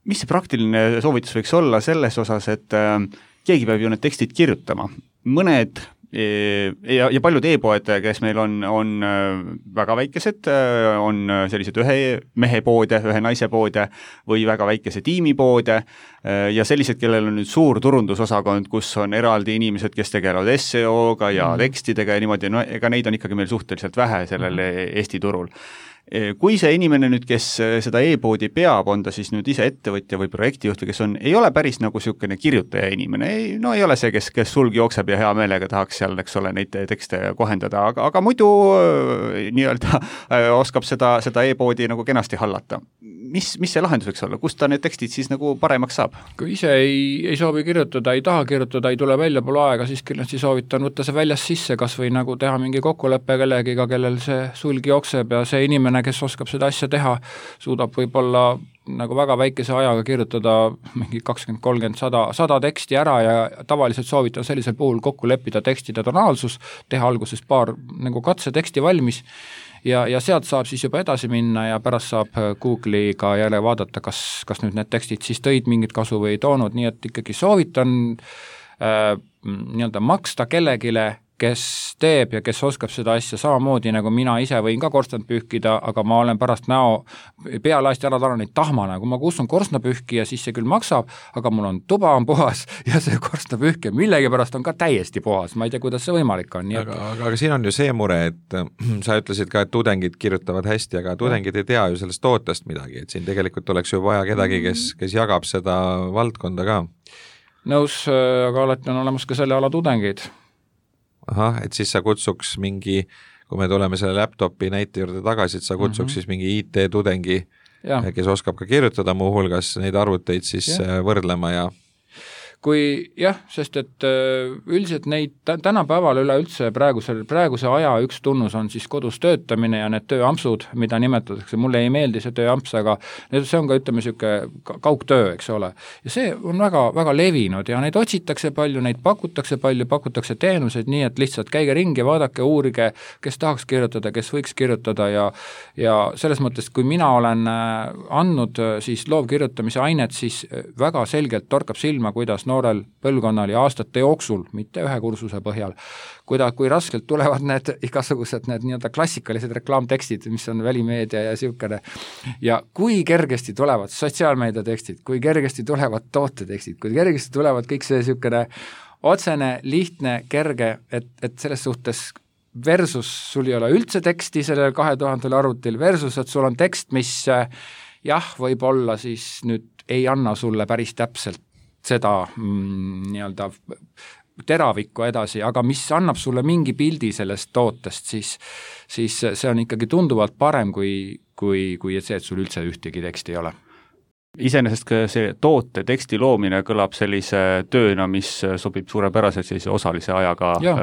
Mis see praktiline soovitus võiks olla selles osas, et äh, keegi peab ju need tekstid kirjutama. Mõned ja, ja paljud e-poed, kes meil on, on väga väikesed, on sellised ühe mehe poode, ühe naise poode või väga väikese tiimipoode ja sellised, kellel on nüüd suur turundusosakond, kus on eraldi inimesed, kes tegelevad S E O-ga ja mm. tekstidega ja niimoodi, no ega neid on ikkagi meil suhteliselt vähe sellel mm. Eesti turul. Kui see inimene nüüd, kes seda e-poodi peab, on ta siis nüüd ise ettevõtja või projektijuht või kes on, ei ole päris nagu niisugune kirjutaja inimene, ei, no ei ole see, kes, kes sulg jookseb ja hea meelega tahaks seal, eks ole, neid tekste kohendada, aga, aga muidu nii-öelda oskab seda, seda e-poodi nagu kenasti hallata. Mis, mis see lahendus võiks olla? Kust ta need tekstid siis nagu paremaks saab? Kui ise ei, ei soovi kirjutada, ei taha kirjutada, ei tule välja pole aega, siis kindlasti soovitan võtta see väljas sisse, kas või nagu teha mingi kokkuleppe kellegiga, kellel see sulg jookseb ja see inimene, kes oskab seda asja teha, suudab võib-olla nagu väga väikese ajaga kirjutada mingi kakskümmend, kolmkümmend, sada, sada teksti ära ja tavaliselt soovitan sellisel puhul kokku leppida tekstide tonaalsus, teha alguses paar nagu katseteksti valmis ja, ja sealt saab siis juba edasi minna ja pärast saab Google'iga jälle vaadata, kas, kas nüüd need tekstid siis tõid mingit kasu või ei toonud, nii et ikkagi soovitan äh, nii-öelda maksta kellegile, kes teeb ja kes oskab seda asja samamoodi, nagu mina ise võin ka korstnat pühkida, aga ma olen pärast näo pealaasti ära talanud tahmana, kui ma kustun korstnapühki ja siis see küll maksab, aga mul on tuba on puhas ja see korstnapühki millegi pärast on ka täiesti puhas, ma ei tea, kuidas see võimalik on. Aga, aga, aga siin on ju see mure, et sa ütlesid ka, et tudengid kirjutavad hästi, aga tudengid ei tea ju sellest tootest midagi, et siin tegelikult oleks ju vaja kedagi, kes, kes jagab seda valdkonda ka. Nõus, aga alati on olemas ka selle ala tudengid. Ahah, et siis sa kutsuks mingi, kui me tuleme selle laptopi näite juurde tagasi, et sa kutsuks mm-hmm. siis mingi I T-tudengi, kes oskab ka kirjutada muu hulgas neid arvuteid siis ja. võrdlema ja kui jah, sest et üldiselt neid tänapäeval üleüldse praeguse, praeguse aja üks tunnus on siis kodus töötamine ja need tööampsud, mida nimetatakse, mulle ei meeldi see tööamps, aga see on ka, ütleme, niisugune kaugtöö, eks ole. Ja see on väga, väga levinud ja neid otsitakse palju, neid pakutakse palju, pakutakse teenuseid nii, et lihtsalt käige ringi, vaadake, uurige, kes tahaks kirjutada, kes võiks kirjutada ja ja selles mõttes, kui mina olen andnud siis loovkirjutamise ainet, siis väga selgelt torkab silma, kuidas noorel põlvkonnal ja aastate jooksul, mitte ühe kursuse põhjal, kuida, kui raskelt tulevad need igasugused need nii-öelda klassikalised reklaamtekstid, mis on välimeedia ja siukene, ja kui kergesti tulevad sotsiaalmeedia tekstid, kui kergesti tulevad tootetekstid, kui kergesti tulevad kõik see siukene otsene, lihtne, kerge, et, et selles suhtes versus sul ei ole üldse teksti sellel kahe tuhandel arvutil, versus et sul on tekst, mis jah, võib-olla siis nüüd ei anna sulle päris täpselt seda mm, nii-öelda teravikku edasi, aga mis annab sulle mingi pildi sellest tootest, siis, siis see on ikkagi tunduvalt parem kui, kui, kui see, et sul üldse ühtegi teksti ei ole. Iseenesest ka see toote teksti loomine kõlab sellise tööna, mis sobib suurepäraselt sellise osalise ajaga ja.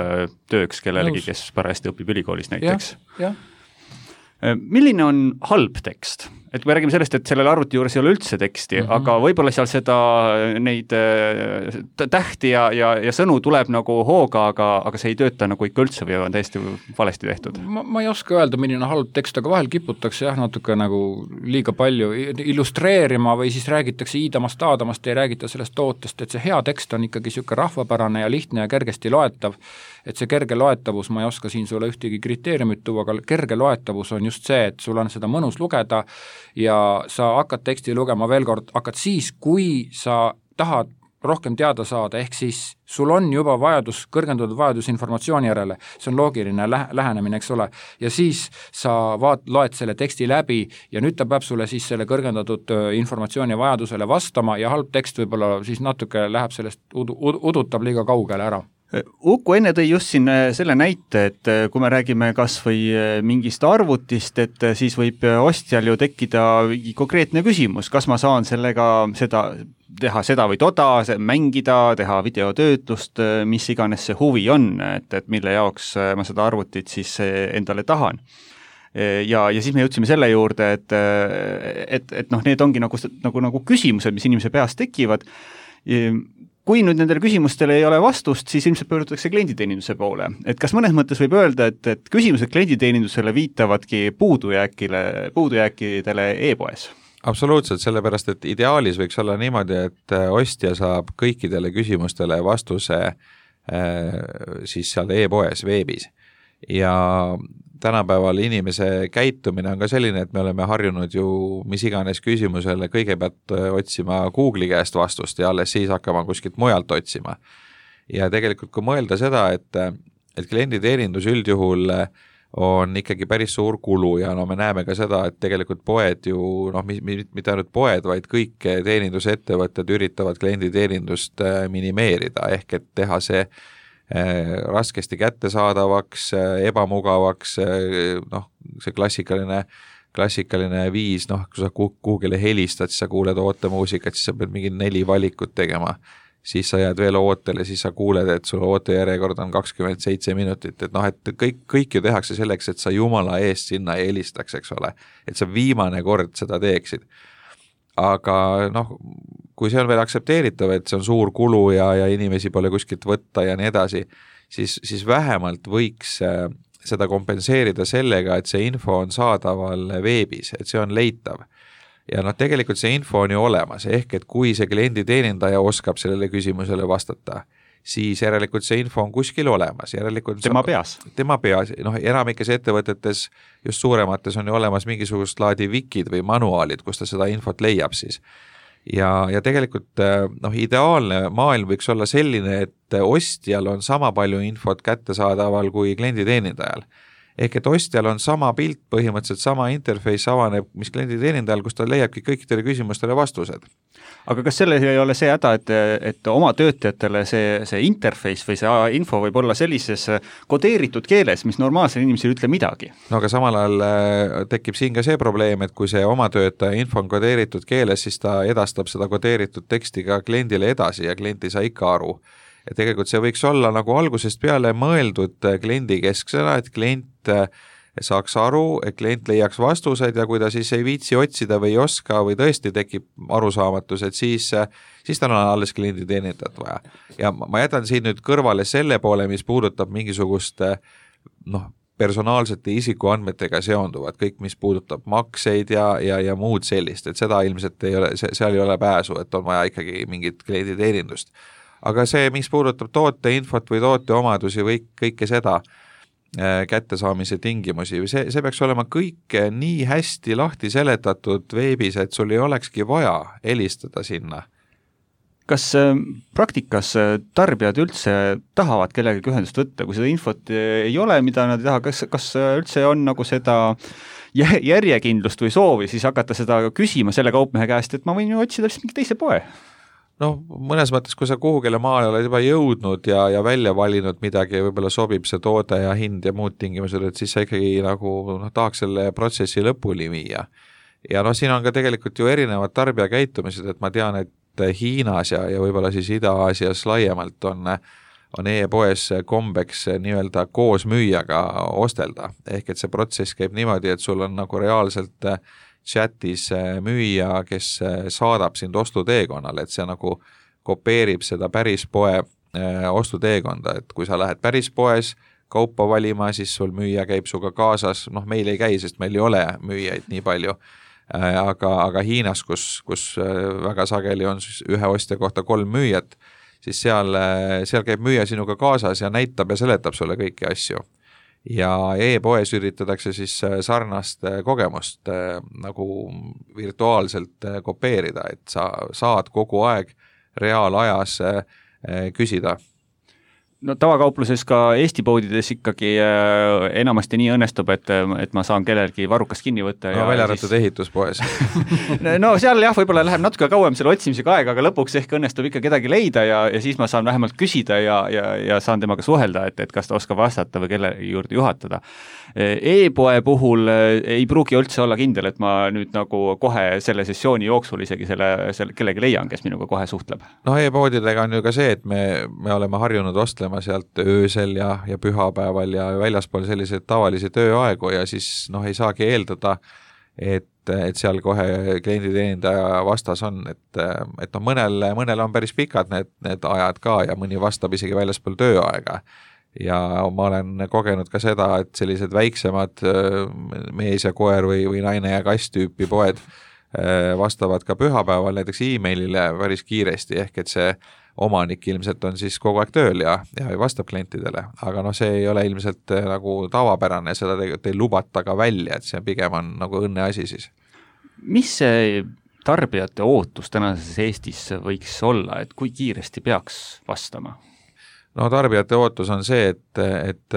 Tööks kellelegi, kes parajasti õpib ülikoolis näiteks. Ja, ja. Milline on halb tekst? Et kui me räägime sellest, et sellel arvuti juures ei ole üldse teksti, mm-hmm. aga võib-olla seal seda neid tähti ja, ja, ja sõnu tuleb nagu hooga, aga, aga see ei tööta nagu ikka üldse või on täiesti valesti tehtud. Ma, ma ei oska öelda, milline halb tekst, aga vahel kiputakse jah, natuke nagu liiga palju illustreerima või siis räägitakse iidamast, aadamast, ei räägita sellest tootest, et see hea tekst on ikkagi siuke rahvapärane ja lihtne ja kergesti loetav, et see kerge loetavus, ma ei oska siin sulle ühtegi kriteeriumit tuua, aga kerge loetavus on just see, et sul on seda mõnus lugeda ja sa hakkad teksti lugema veel kord, hakkad siis, kui sa tahad rohkem teada saada, ehk siis sul on juba vajadus, kõrgendatud vajadus informatsiooni järele, see on loogiline lä- lähenemine, eks ole, ja siis sa vaat, loed selle teksti läbi ja nüüd ta peab sulle siis selle kõrgendatud informatsiooni vajadusele vastama ja halb tekst võib-olla siis natuke läheb sellest, udu, udutab liiga kaugele ära. Uku enne tõi just siin selle näite, et kui me räägime kas või mingist arvutist, et siis võib ostjal ju tekkida konkreetne küsimus, kas ma saan sellega seda, teha seda või toda, mängida, teha videotöötlust, mis iganes see huvi on, et, et mille jaoks ma seda arvutit siis endale tahan. Ja, ja siis me jõudsime selle juurde, et, et, et noh, need ongi nagu, nagu, nagu küsimused, mis inimese peas tekivad. Kui nüüd nendele küsimustele ei ole vastust, siis ilmselt pöördutakse klienditeeninduse poole. Et kas mõnes mõttes võib öelda, et, et küsimused klienditeenindusele viitavadki puudujääkile, puudujääkidele e-poes? Absoluutselt, sellepärast, et ideaalis võiks olla niimoodi, et ostja saab kõikidele küsimustele vastuse siis seal e-poes, veebis. Ja tänapäeval inimese käitumine on ka selline, et me oleme harjunud ju mis iganes küsimusele kõigepealt otsima Google'i käest vastust ja alles siis hakkama kuskilt mujalt otsima. Ja tegelikult kui mõelda seda, et, et klienditeenindus üldjuhul on ikkagi päris suur kulu ja no me näeme ka seda, et tegelikult poed ju, noh, mitte ainult poed, vaid kõik teenindusettevõtted üritavad klienditeenindust minimeerida, ehk et teha see raskesti kättesaadavaks, ebamugavaks, noh, see klassikaline, klassikaline viis, noh, kui sa kuhugile helistad, siis sa kuuled ootemuusikat, siis sa pead mingi neli valikut tegema, siis sa jääd veel ootele, siis sa kuuled, et sul ootejärjekord on kakskümmend seitse minutit, et noh, et kõik, kõik ju tehakse selleks, et sa jumala eest sinna ei helistaks, eks ole, et sa viimane kord seda teeksid. Aga noh, kui see on veel aktsepteeritav, et see on suur kulu ja, ja inimesi pole kuskilt võtta ja nii edasi, siis, siis vähemalt võiks seda kompenseerida sellega, et see info on saadaval veebis, et see on leitav. Ja noh, tegelikult see info on ju olemas, ehk et kui see klienditeenindaja oskab sellele küsimusele vastata, siis järelikult see info on kuskil olemas. Järelikult tema peas. Tema peas. Noh, enamikes ettevõtetes, just suuremates on ju olemas mingisugust laadi wikid või manuaalid, kus ta seda infot leiab siis. Ja, ja tegelikult noh, ideaalne maailm võiks olla selline, et ostjal on sama palju infot kättesaadaval kui klienditeenindajal. ehk et ostjal on sama pilt, põhimõtteliselt sama interface avaneb, mis klienditeenindajal, kus ta leiabki kõikidele küsimustele vastused. Aga kas selles ei ole see häda, et, et oma töötajatele see, see interface või see info võib olla sellises kodeeritud keeles, mis normaalsel inimesel ei ütle midagi? No aga samal ajal tekib siin ka see probleem, et kui see oma töötaja info on kodeeritud keeles, siis ta edastab seda kodeeritud teksti ka kliendile edasi ja klient ei saa ikka aru. Ja tegelikult see võiks olla nagu algusest peale mõeldud kliendi kesksena, et klient saaks aru, et klient leiaks vastused ja kui ta siis ei viitsi otsida või ei oska või tõesti tekib arusaamatus, et siis, siis tal on alles kliendi teenindajat vaja. Ja ma jätan siin nüüd kõrvale selle poole, mis puudutab mingisugust noh, personaalsete isikuandmetega seonduvad, kõik mis puudutab makseid ja, ja, ja muud sellist, et seda ilmselt ei ole, seal ei ole pääsu, et on vaja ikkagi mingit kliendi teenindust. Aga see, mis puudutab toote infot või toote omadusi või kõike seda äh, kättesaamise tingimusi, see, see peaks olema kõik nii hästi lahti seletatud veebis, et sul ei olekski vaja helistada sinna. Kas äh, praktikas äh, tarbijad üldse tahavad kellegagi ühendust võtta, kui seda infot äh, ei ole, mida nad ei taha, kas, kas üldse on nagu seda järjekindlust või soovi siis hakata seda küsima selle kaupmehe käest, et ma võin ju otsida lihtsalt mingi teise poe? noh, mõnes mõttes, kui sa kuhugile maale oled juba jõudnud ja, ja välja valinud midagi ja võib-olla sobib see toode ja hind ja muud tingimused, et siis sa ikkagi nagu noh, tahaks selle protsessi lõpuni viia. Ja noh, siin on ka tegelikult ju erinevad tarbija käitumised, et ma tean, et Hiinas ja, ja võib-olla siis Ida-Aasias laiemalt on, on e-poes kombeks nii-öelda koos müüjaga ostelda. Ehk et see protsess käib niimoodi, et sul on nagu reaalselt chatis müüja, kes saadab sind ostuteekonnale, et see nagu kopeerib seda päris poe ostuteekonda, et kui sa lähed päris poes kaupa valima, siis sul müüja käib suga kaasas, noh meil ei käi, sest meil ei ole müüjaid nii palju, aga, aga Hiinas, kus, kus väga sageli on ühe ostja kohta kolm müüjat, siis seal, seal käib müüja sinuga kaasas ja näitab ja seletab sulle kõiki asju. Ja e-poes üritatakse siis sarnast kogemust nagu virtuaalselt kopeerida, et sa saad kogu aeg reaalajas küsida. No tavakaupluses ka Eesti poodides ikkagi äh, enamasti nii õnnestub, et, et ma saan kellelgi varrukas kinni võtta. No välja arvatud siis... ehituspoes. no seal jah, võib-olla läheb natuke kauem selle otsimisega aega, aga lõpuks ehk õnnestub ikka kedagi leida ja, ja siis ma saan vähemalt küsida ja, ja, ja saan temaga suhelda, et, et kas ta oskab vastata või kelle juurde juhatada. E-poe puhul ei pruugi üldse olla kindel, et ma nüüd nagu kohe selle sessiooni jooksul isegi selle, selle kellegi leian, kes minuga kohe suhtleb. No e-poodidega on ju ka see, et me, me oleme harjunud ostlema sealt öösel ja, ja pühapäeval ja väljaspool selliseid tavalisi tööaegu ja siis noh, ei saagi eeldada, et, et seal kohe klienditeenindaja vastas on, et, et noh, mõnel, mõnel on päris pikad need, need ajad ka ja mõni vastab isegi väljaspool tööaega. Ja ma olen kogenud ka seda, et sellised väiksemad mees ja koer või, või naine ja kass tüüpi poed vastavad ka pühapäeval näiteks e-mailile päris kiiresti, ehk et see omanik ilmselt on siis kogu aeg tööl ja, ja vastab klientidele, aga noh, see ei ole ilmselt nagu tavapärane, seda tegelikult ei lubata ka välja, et see pigem on nagu õnne asi siis. Mis see tarbijate ootus tänases Eestis võiks olla, et kui kiiresti peaks vastama? No tarbijate ootus on see, et, et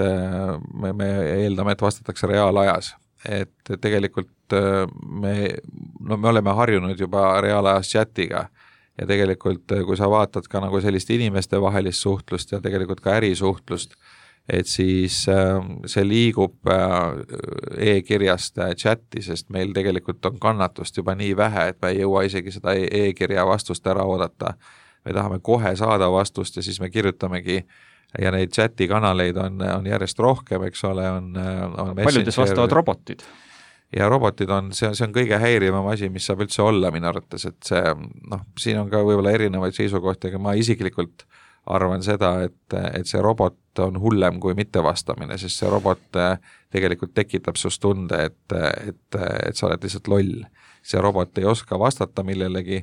me, me eeldame, et vastatakse reaalajas, et tegelikult me, no me oleme harjunud juba reaalajas chatiga ja tegelikult kui sa vaatad ka nagu sellist inimeste vahelist suhtlust ja tegelikult ka ärisuhtlust, et siis see liigub e-kirjast chati, sest meil tegelikult on kannatust juba nii vähe, et me ei jõua isegi seda e-kirja vastust ära oodata. Me tahame kohe saada vastust ja siis me kirjutamegi ja neid chati kanaleid on, on järjest rohkem, eks ole, on, on paljudes vastavad robotid. Ja robotid on, see, see on kõige häirivam asi, mis saab üldse olla minu arvates, et see, noh, siin on ka võib-olla erinevaid seisukohti, aga ma isiklikult arvan seda, et, et see robot on hullem kui mittevastamine, sest see robot tegelikult tekitab sust tunde, et, et, et sa oled lihtsalt loll. See robot ei oska vastata millelegi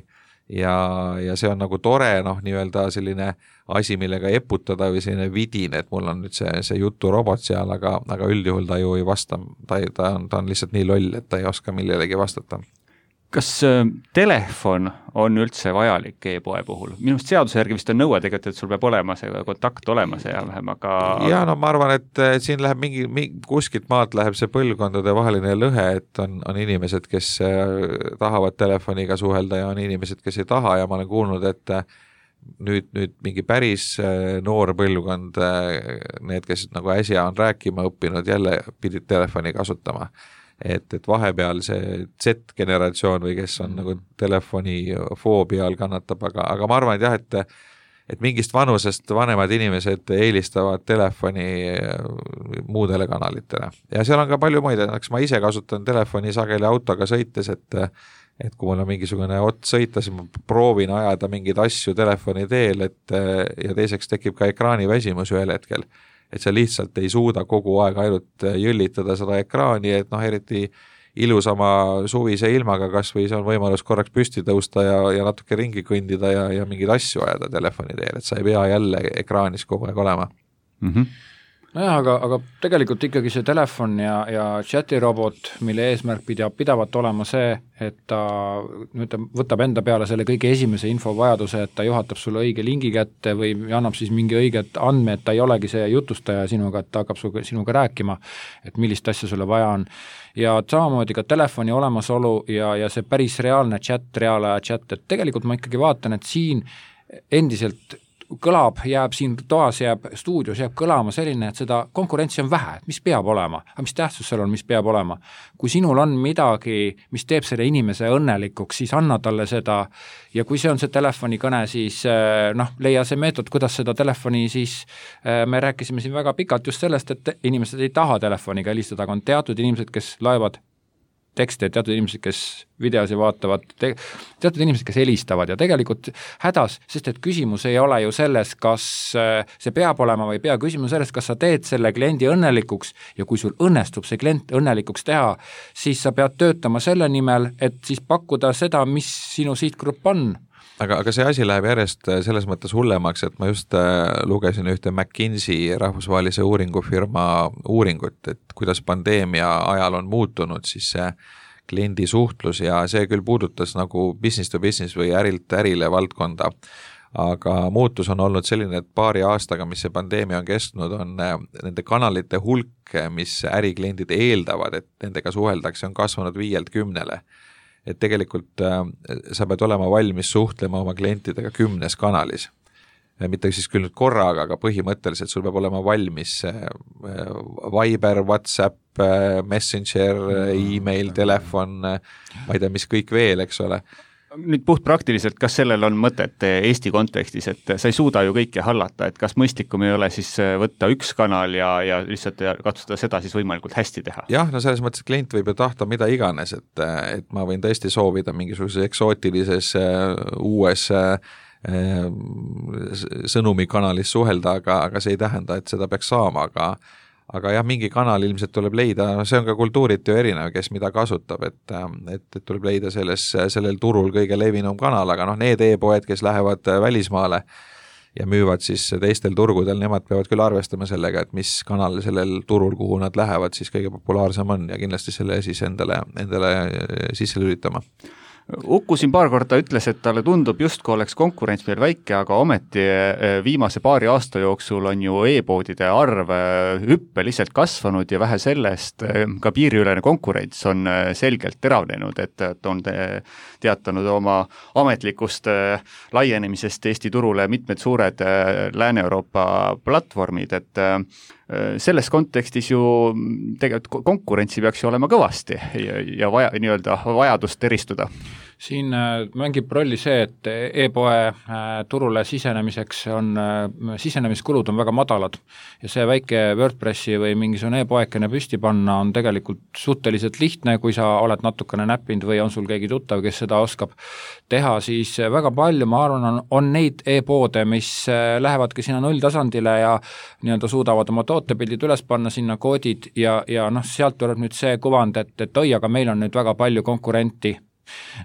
ja, ja see on nagu tore, noh, nii-öelda selline asi, millega eputada või selline vidin, et mul on nüüd see, see juturobot seal, aga, aga üldjuhul ta ju ei vasta, ta, ta, on, ta on lihtsalt nii loll, et ta ei oska millelegi vastata. Kas telefon on üldse vajalik e-poe puhul? Minust seaduse järgi vist on nõue tegelikult, et sul peab olema see kontakt olemas ja vähem, aga... Ja no ma arvan, et siin läheb mingi, mingi kuskilt maalt läheb see põlvkondade vaheline lõhe, et on, on inimesed, kes tahavad telefoniga suhelda ja on inimesed, kes ei taha ja ma olen kuulnud, et nüüd, nüüd mingi päris noor põlvkond, need, kes nagu äsja on rääkima õppinud, jälle pidid telefoni kasutama. Et, et vahepeal see Z-generatsioon või kes on nagu telefonifoobia all kannatab, aga, aga ma arvan, et jah, et, et mingist vanusest vanemad inimesed eelistavad telefoni muudele kanalitele. Ja seal on ka palju muid, eks ma ise kasutan telefoni sageli autoga sõites, et, et kui mul on mingisugune ots sõita, siis ma proovin ajada mingeid asju telefoni teel, et ja teiseks tekib ka ekraani väsimus ühel hetkel. Et sa lihtsalt ei suuda kogu aeg ainult jõllitada seda ekraani, et noh, eriti ilusama suvise ilmaga kas või see on võimalus korraks püsti tõusta ja, ja natuke ringi kõndida ja, ja mingeid asju ajada telefoni teel, et sa ei pea jälle ekraanis kogu aeg olema. Mhm. Nojah, aga, aga tegelikult ikkagi see telefon ja, ja chatirobot, mille eesmärk pidab pidavalt olema see, et ta nüüd võtab enda peale selle kõige esimese infovajaduse, et ta juhatab sulle õige lingi kätte või annab siis mingi õiget andme, et ta ei olegi see jutustaja sinuga, et ta hakkab sinuga rääkima, et millist asja sulle vaja on. Ja samamoodi ka telefoni olemasolu ja, ja see päris reaalne chat, reaalaja chat, et tegelikult ma ikkagi vaatan, et siin endiselt kõlab, jääb siin toas, jääb stuudios, jääb kõlama selline, et seda konkurentsi on vähe, et mis peab olema, aga mis tähtsus seal on, mis peab olema. Kui sinul on midagi, mis teeb selle inimese õnnelikuks, siis anna talle seda ja kui see on see telefonikõne, siis noh, leia see meetod, kuidas seda telefoni siis, me rääkisime siin väga pikalt just sellest, et inimesed ei taha telefoniga helistada, aga on teatud inimesed, kes laevad tekste, teatud inimesed, kes videosi vaatavad, te, teatud inimesed, kes helistavad ja tegelikult hädas, sest et küsimus ei ole ju selles, kas see peab olema või ei pea, küsimus selles, kas sa teed selle kliendi õnnelikuks ja kui sul õnnestub see klient õnnelikuks teha, siis sa pead töötama selle nimel, et siis pakkuda seda, mis sinu sihtgrupp on. Aga, aga see asi läheb järjest selles mõttes hullemaks, et ma just lugesin ühte McKinsey rahvusvahelise uuringufirma uuringut, et kuidas pandeemia ajal on muutunud siis see kliendi suhtlus ja see küll puudutas nagu business to business või ärilt ärile valdkonda, aga muutus on olnud selline, et paari aastaga, mis see pandeemia on kestnud, on nende kanalite hulk, mis ärikliendid eeldavad, et nendega suheldakse, on kasvanud viielt kümnele. Et tegelikult äh, sa pead olema valmis suhtlema oma klientidega kümnes kanalis. Mitte siis küll nüüd korraga, aga põhimõtteliselt sul peab olema valmis äh, Viber, WhatsApp, äh, Messenger, email, telefon, äh, ma ei tea, mis kõik veel, eks ole. Nüüd puht praktiliselt, kas sellel on mõtet Eesti kontekstis, et sa ei suuda ju kõike hallata, et kas mõistikum ei ole siis võtta üks kanal ja, ja lihtsalt katsuda seda siis võimalikult hästi teha? Jah, no selles mõttes, et klient võib ju tahta mida iganes, et, et ma võin tõesti soovida mingisuguses eksootilises uues sõnumikanalis suhelda, aga, aga see ei tähenda, et seda peaks saama, aga aga jah, mingi kanal ilmselt tuleb leida, no see on ka kultuurit ju erinev, kes mida kasutab, et, et, et tuleb leida selles, sellel turul kõige levinum kanal, aga noh, need e-poed, kes lähevad välismaale ja müüvad siis teistel turgudel, nemad peavad küll arvestama sellega, et mis kanal sellel turul, kuhu nad lähevad, siis kõige populaarsem on ja kindlasti selle siis endale, endale sisse lülitama. Uku siin paar korda ütles, et talle tundub justkui oleks konkurents meil väike, aga ometi viimase paari aasta jooksul on ju e-poodide arv hüppeliselt kasvanud ja vähe sellest ka piiriülene konkurents on selgelt teravnenud, et on teatanud oma ametlikust laienemisest Eesti turule mitmed suured Lääne-Euroopa platvormid, et selles kontekstis ju tegelikult konkurentsi peaks ju olema kõvasti ja, ja vaja, nii-öelda vajadust eristuda. Siin mängib rolli see, et e-poe turule sisenemiseks on, sisenemiskulud on väga madalad ja see väike WordPressi või mingisugune e-poekene püsti panna on tegelikult suhteliselt lihtne, kui sa oled natukene näppinud või on sul keegi tuttav, kes seda oskab teha, siis väga palju, ma arvan, on, on neid e-poode, mis lähevadki sinna nulltasandile ja nii-öelda suudavad oma tootepildid üles panna sinna koodid ja, ja noh, sealt tuleb nüüd see kuvand, et, et oi, aga meil on nüüd väga palju konkurenti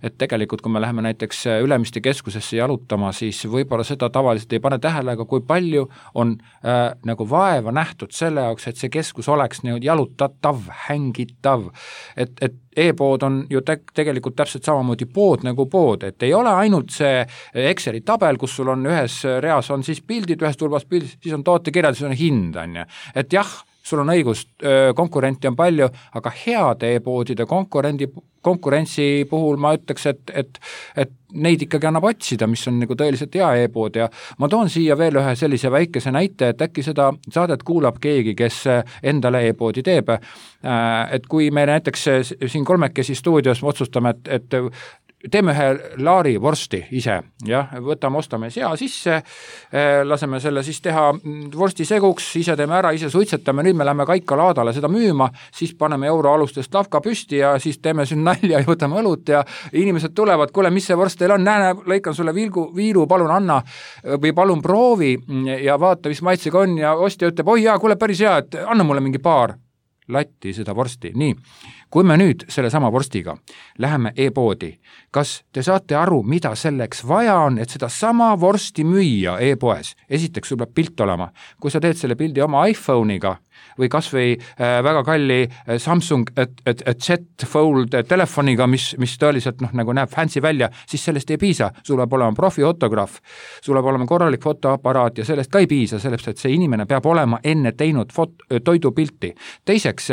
et tegelikult, kui me läheme näiteks Ülemiste keskusesse jalutama, siis võib-olla seda tavaliselt ei pane tähele, aga kui palju on äh, nagu vaeva nähtud selle jaoks, et see keskus oleks nii jalutatav, hängitav, et, et e-pood on ju te- tegelikult täpselt samamoodi pood nagu pood, et ei ole ainult see Exceli tabel, kus sul on ühes reas on siis pildid, ühes tulbas pildid, siis on tootekirjad, siis on hind, on ju. Et jah, sul on õigus, konkurenti on palju, aga heade e-poodide konkurendi, konkurentsi puhul ma ütleks, et, et, et neid ikkagi annab otsida, mis on nagu tõeliselt hea e-pood ja ma toon siia veel ühe sellise väikese näite, et äkki seda saadet kuulab keegi, kes endale e-poodi teeb. Et kui me näiteks siin kolmekesi stuudios otsustame, et, et teeme ühe laari vorsti ise, jah, võtame, ostame sea sisse, laseme selle siis teha vorsti seguks, ise teeme ära, ise suitsetame, nüüd me läheme Kaikalaadale seda müüma, siis paneme euro alustest lavka püsti ja siis teeme siin nalja ja võtame õlut ja inimesed tulevad, kuule, mis see vorst teil on, näe, lõikan sulle viilgu, viilu, palun anna või palun proovi ja vaata, mis maitsega on ja ostja ütleb, oi jaa, kuule, päris hea, et anna mulle mingi paar latti seda vorsti, nii. Kui me nüüd selle sama vorstiga läheme e-poodi, kas te saate aru, mida selleks vaja on, et seda sama vorsti müüa e-poes? Esiteks sul peab pilt olema. Kui sa teed selle pildi oma iPhone'iga või kas või äh, väga kalli äh, Samsung et, et, et Z Fold telefoniga, mis, mis tõeliselt noh, nagu näeb fancy välja, siis sellest ei piisa. Sul peab olema profifotograaf, sul peab olema korralik fotoaparaat ja sellest ka ei piisa, sellest, et see inimene peab olema enne teinud fot- toidupilti. Teiseks,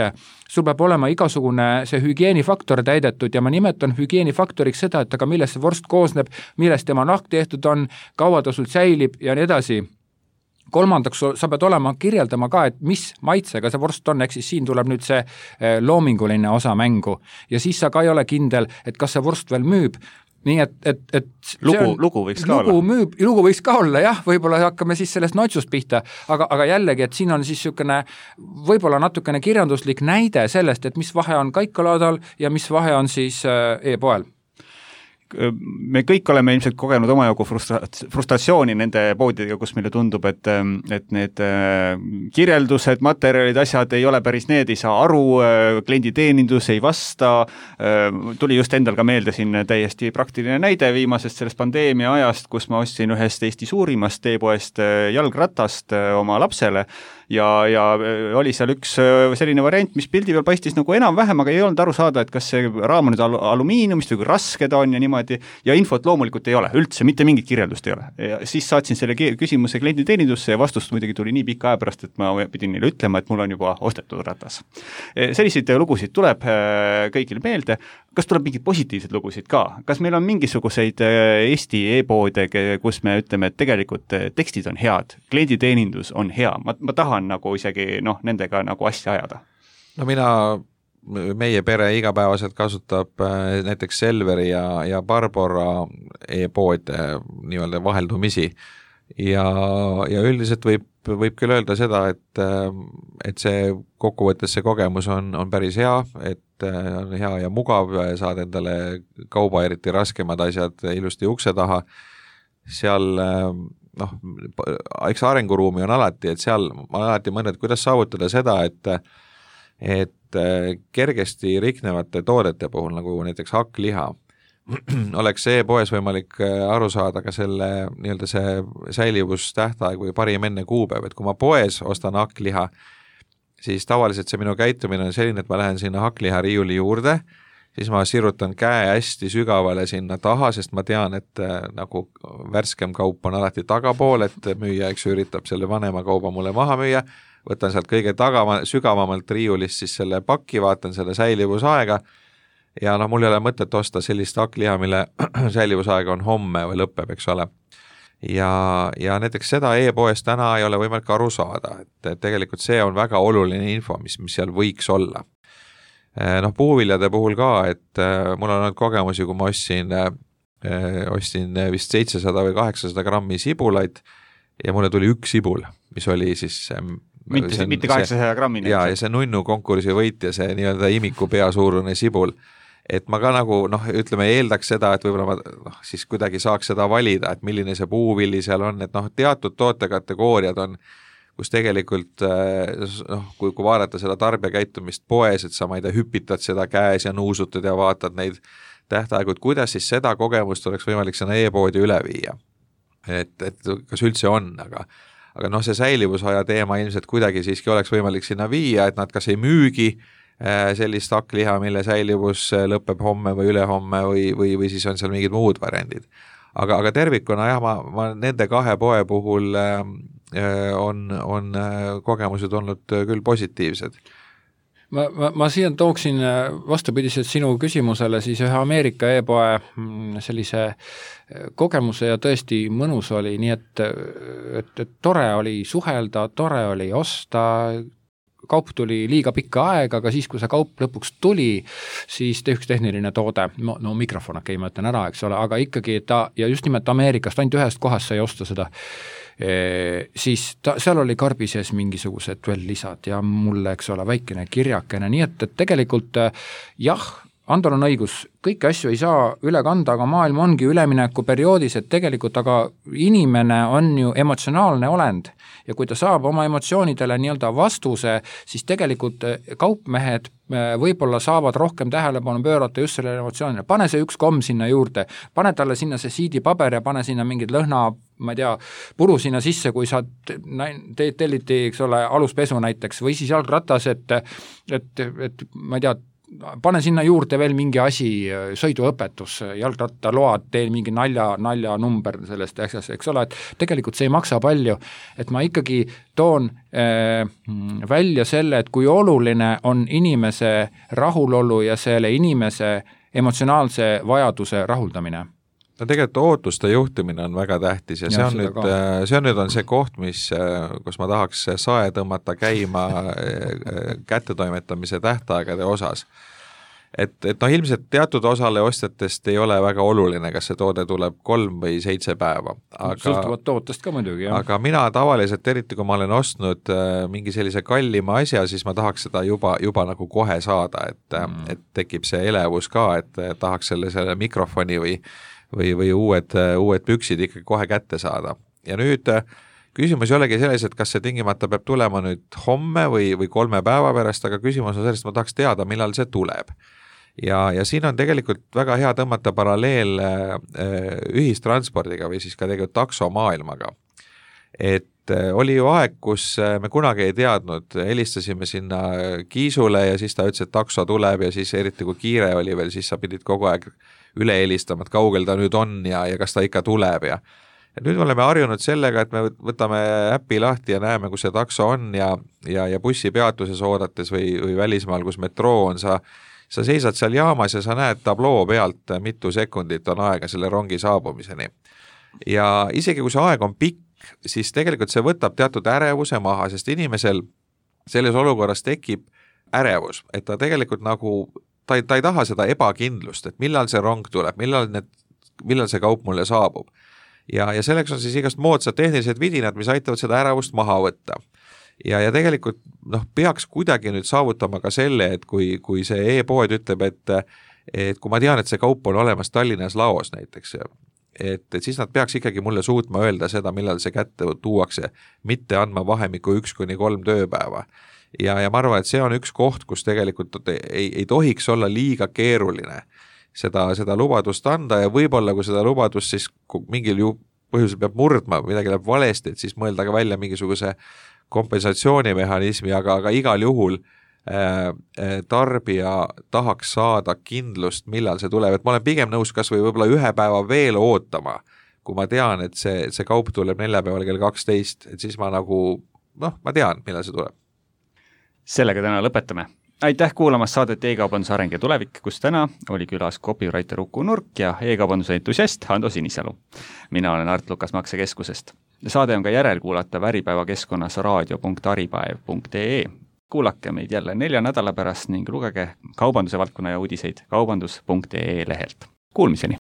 sul peab olema igasugune see hügieenifaktor täidetud ja ma nimetan hügieenifaktoriks seda, et aga millest see vorst koosneb, millest tema nahk tehtud on, kaua ta sul säilib ja nii edasi. Kolmandaks, sa pead olema kirjeldama ka, et mis maitsega see vorst on, ehk siis siin tuleb nüüd see loominguline osa mängu ja siis sa ka ei ole kindel, et kas see vorst veel müüb. Nii et, et, et lugu, on, lugu võiks ka lugu olla. Müüb, lugu võiks ka olla, jah, võib-olla hakkame siis sellest notsust pihta, aga, aga jällegi, et siin on siis niisugune võib-olla natukene kirjanduslik näide sellest, et mis vahe on Kaikalaadal ja mis vahe on siis e-poel. Me kõik oleme ilmselt kogenud omajagu frustra- frustratsiooni nende poodidega, kus meile tundub, et, et need kirjeldused, materjalid, asjad ei ole päris need, ei saa aru, klienditeenindus ei vasta, tuli just endal ka meelde siin täiesti praktiline näide viimasest sellest pandeemia ajast, kus ma ostsin ühest Eesti suurimast e-poest jalgratast oma lapsele ja, ja oli seal üks selline variant, mis pildi peal paistis nagu enam-vähem, aga ei olnud aru saada, et kas see raam on nüüd al- alumiiniumist või kui raske ta on ja niimoodi, ja infot loomulikult ei ole, üldse mitte mingit kirjeldust ei ole. Ja siis saatsin selle küsimuse klienditeenindusse ja vastust muidugi tuli nii pika aja pärast, et ma pidin neile ütlema, et mul on juba ostetud ratas. Selliseid lugusid tuleb kõigile meelde. Kas tuleb mingid positiivsed lugusid ka? Kas meil on mingisuguseid Eesti e-poode, kus me ütleme, et tegelikult tekstid on head, klienditeenindus on hea, ma, ma tahan nagu isegi noh, nendega nagu asja ajada? No mina, meie pere igapäevaselt kasutab näiteks Selveri ja, ja Barbora e-poode nii-öelda vaheldumisi ja, ja üldiselt võib, võib küll öelda seda, et, et see kokkuvõttes see kogemus on, on päris hea, et on hea ja mugav, saad endale kauba eriti raskemad asjad ilusti ukse taha, seal noh, eks arenguruumi on alati, et seal ma alati mõned, kuidas saavutada seda, et et kergesti riknevate toodete puhul, nagu näiteks hakkliha, oleks e-poes võimalik aru saada ka selle nii-öelda see säilivustähtaeg või parim enne kuupäev, et kui ma poes ostan hakkliha, siis tavaliselt see minu käitumine on selline, et ma lähen sinna hakkliha riiuli juurde, siis ma sirutan käe hästi sügavale sinna taha, sest ma tean, et nagu värskem kaup on alati tagapool, et müüja, eks üritab selle vanema kauba mulle maha müüa, võtan sealt kõige tagama, sügavamalt riiulist siis selle pakki, vaatan selle säilivusaega ja noh, mul ei ole mõtet osta sellist hakkliha, mille säilivusaega on homme või lõpeb, eks ole. Ja, ja näiteks seda e-poes täna ei ole võimalik aru saada, et, et tegelikult see on väga oluline info, mis, mis seal võiks olla. Noh, puuviljade puhul ka, et mul on olnud kogemusi, kui ma ostsin, ostsin vist seitsesada või kaheksasada grammi sibulaid ja mulle tuli üks sibul, mis oli siis mitte, see, mitte kaheksasaja grammini. Ja, ja see nunnu konkursi võitja, see nii-öelda imiku pea suurune sibul, et ma ka nagu noh, ütleme, eeldaks seda, et võib-olla ma noh, siis kuidagi saaks seda valida, et milline see puuvilli seal on, et noh, teatud tootekategooriad on, kus tegelikult noh, kui, kui vaadata seda tarbijakäitumist poes, et sa, ma ei tea, hüpitad seda käes ja nuusutad ja vaatad neid tähtaegu, et kuidas siis seda kogemust oleks võimalik sinna e-poodi üle viia. Et, et kas üldse on, aga aga noh, see säilivusaja teema ilmselt kuidagi siiski oleks võimalik sinna viia, et nad kas ei müügi sellist hakkliha, mille säilivus lõpeb homme või ülehomme või, või, või siis on seal mingid muud variandid. Aga, aga tervikuna jah, ma, ma nende kahe poe puhul on, on kogemused olnud küll positiivsed. Ma, ma, ma siia tooksin vastupidiselt sinu küsimusele siis ühe Ameerika e-poe sellise kogemuse ja tõesti mõnus oli, nii et, et, et tore oli suhelda, tore oli osta, kaup tuli liiga pikka aega, aga siis, kui see kaup lõpuks tuli, siis üks tehniline toode, no, no mikrofon, okei, ma ütlen ära, eks ole, aga ikkagi ta, ja just nimelt Ameerikast, ainult ühest kohast sai osta seda, e, siis ta, seal oli karbi sees mingisugused veel lisad ja mulle, eks ole, väikene kirjakene, nii et, et tegelikult jah, Andor on õigus, kõiki asju ei saa üle kanda, aga maailm ongi üleminekuperioodis, et tegelikult aga inimene on ju emotsionaalne olend ja kui ta saab oma emotsioonidele nii-öelda vastuse, siis tegelikult kaupmehed võib-olla saavad rohkem tähelepanu pöörata just sellele emotsioonile. Pane see üks komm sinna juurde, pane talle sinna see siidipaber ja pane sinna mingid lõhna, ma ei tea, puru sinna sisse, kui sa te, telliti, eks ole, aluspesu näiteks või siis jalgratas, et, et, et ma ei tea, pane sinna juurde veel mingi asi, sõiduõpetus, jalgrattaload, tee mingi nalja, nalja number sellest asjast, eks ole, et tegelikult see ei maksa palju, et ma ikkagi toon äh, välja selle, et kui oluline on inimese rahulolu ja selle inimese emotsionaalse vajaduse rahuldamine. No tegelikult ootuste juhtimine on väga tähtis ja, ja see on nüüd, see on nüüd on see koht, mis, kus ma tahaks sae tõmmata käima kättetoimetamise tähtaegade osas. Et, et noh, ilmselt teatud osale ostjatest ei ole väga oluline, kas see toode tuleb kolm või seitse päeva. Aga, sõltuvad tootest ka muidugi, jah. Aga mina tavaliselt, eriti kui ma olen ostnud mingi sellise kallima asja, siis ma tahaks seda juba, juba nagu kohe saada, et, mm. et tekib see elevus ka, et tahaks selle, selle mikrofoni või või, või uued, uued püksid ikkagi kohe kätte saada. Ja nüüd küsimus ei olegi selles, et kas see tingimata peab tulema nüüd homme või, või kolme päeva pärast, aga küsimus on sellest, et ma tahaks teada, millal see tuleb. Ja, ja siin on tegelikult väga hea tõmmata paralleel ühistranspordiga või siis ka tegelikult taksomaailmaga. Et oli ju aeg, kus me kunagi ei teadnud, helistasime sinna Kiisule ja siis ta ütles, et takso tuleb ja siis eriti kui kiire oli veel, siis sa pidid kogu aeg üle helistama, et kaugel ta nüüd on ja, ja kas ta ikka tuleb ja ja nüüd oleme harjunud sellega, et me võtame äppi lahti ja näeme, kus see takso on ja, ja, ja bussi peatuses oodates või, või välismaal, kus metroo on, sa, sa seisad seal jaamas ja sa näed tabloo pealt, mitu sekundit on aega selle rongi saabumiseni. Ja isegi kui see aeg on pikk, siis tegelikult see võtab teatud ärevuse maha, sest inimesel selles olukorras tekib ärevus, et ta tegelikult nagu Ta ei, ta ei taha seda ebakindlust, et millal see rong tuleb, millal, need, millal see kaup mulle saabub. Ja, ja selleks on siis igast moodsad tehnilised vidinad, mis aitavad seda ärevust maha võtta. Ja, ja tegelikult noh, peaks kuidagi nüüd saavutama ka selle, et kui, kui see e-pood ütleb, et, et kui ma tean, et see kaup on olemas Tallinnas laos näiteks, et, et siis nad peaks ikkagi mulle suutma öelda seda, millal see kätte tuuakse, mitte andma vahemiku üks kuni kolm tööpäeva. Ja, ja ma arvan, et see on üks koht, kus tegelikult ei, ei tohiks olla liiga keeruline seda, seda lubadust anda ja võib-olla, kui seda lubadust siis mingil ju põhjusel peab murdma, midagi läheb valesti, et siis mõelda ka välja mingisuguse kompensatsioonimehhanismi, aga, aga igal juhul äh, tarbija tahaks saada kindlust, millal see tuleb, et ma olen pigem nõus kas või võib-olla ühe päeva veel ootama, kui ma tean, et see, see kaup tuleb neljapäeval kell kaksteist, et siis ma nagu, noh, ma tean, millal see tuleb. Sellega täna lõpetame. Aitäh kuulamast saadet E-kaubanduse areng ja tulevik, kus täna oli külas copywriter Uku Nurk ja e-kaubanduse entusiast Hando Sinisalu. Mina olen Art Lukas Maksekeskusest. Saade on ka järelkuulata Äripäeva keskkonnas raadio punkt aripäev punkt ee. Kuulake meid jälle nelja nädala pärast ning lugege kaubanduse valdkonna ja uudiseid kaubandus punkt ee lehelt. Kuulmiseni!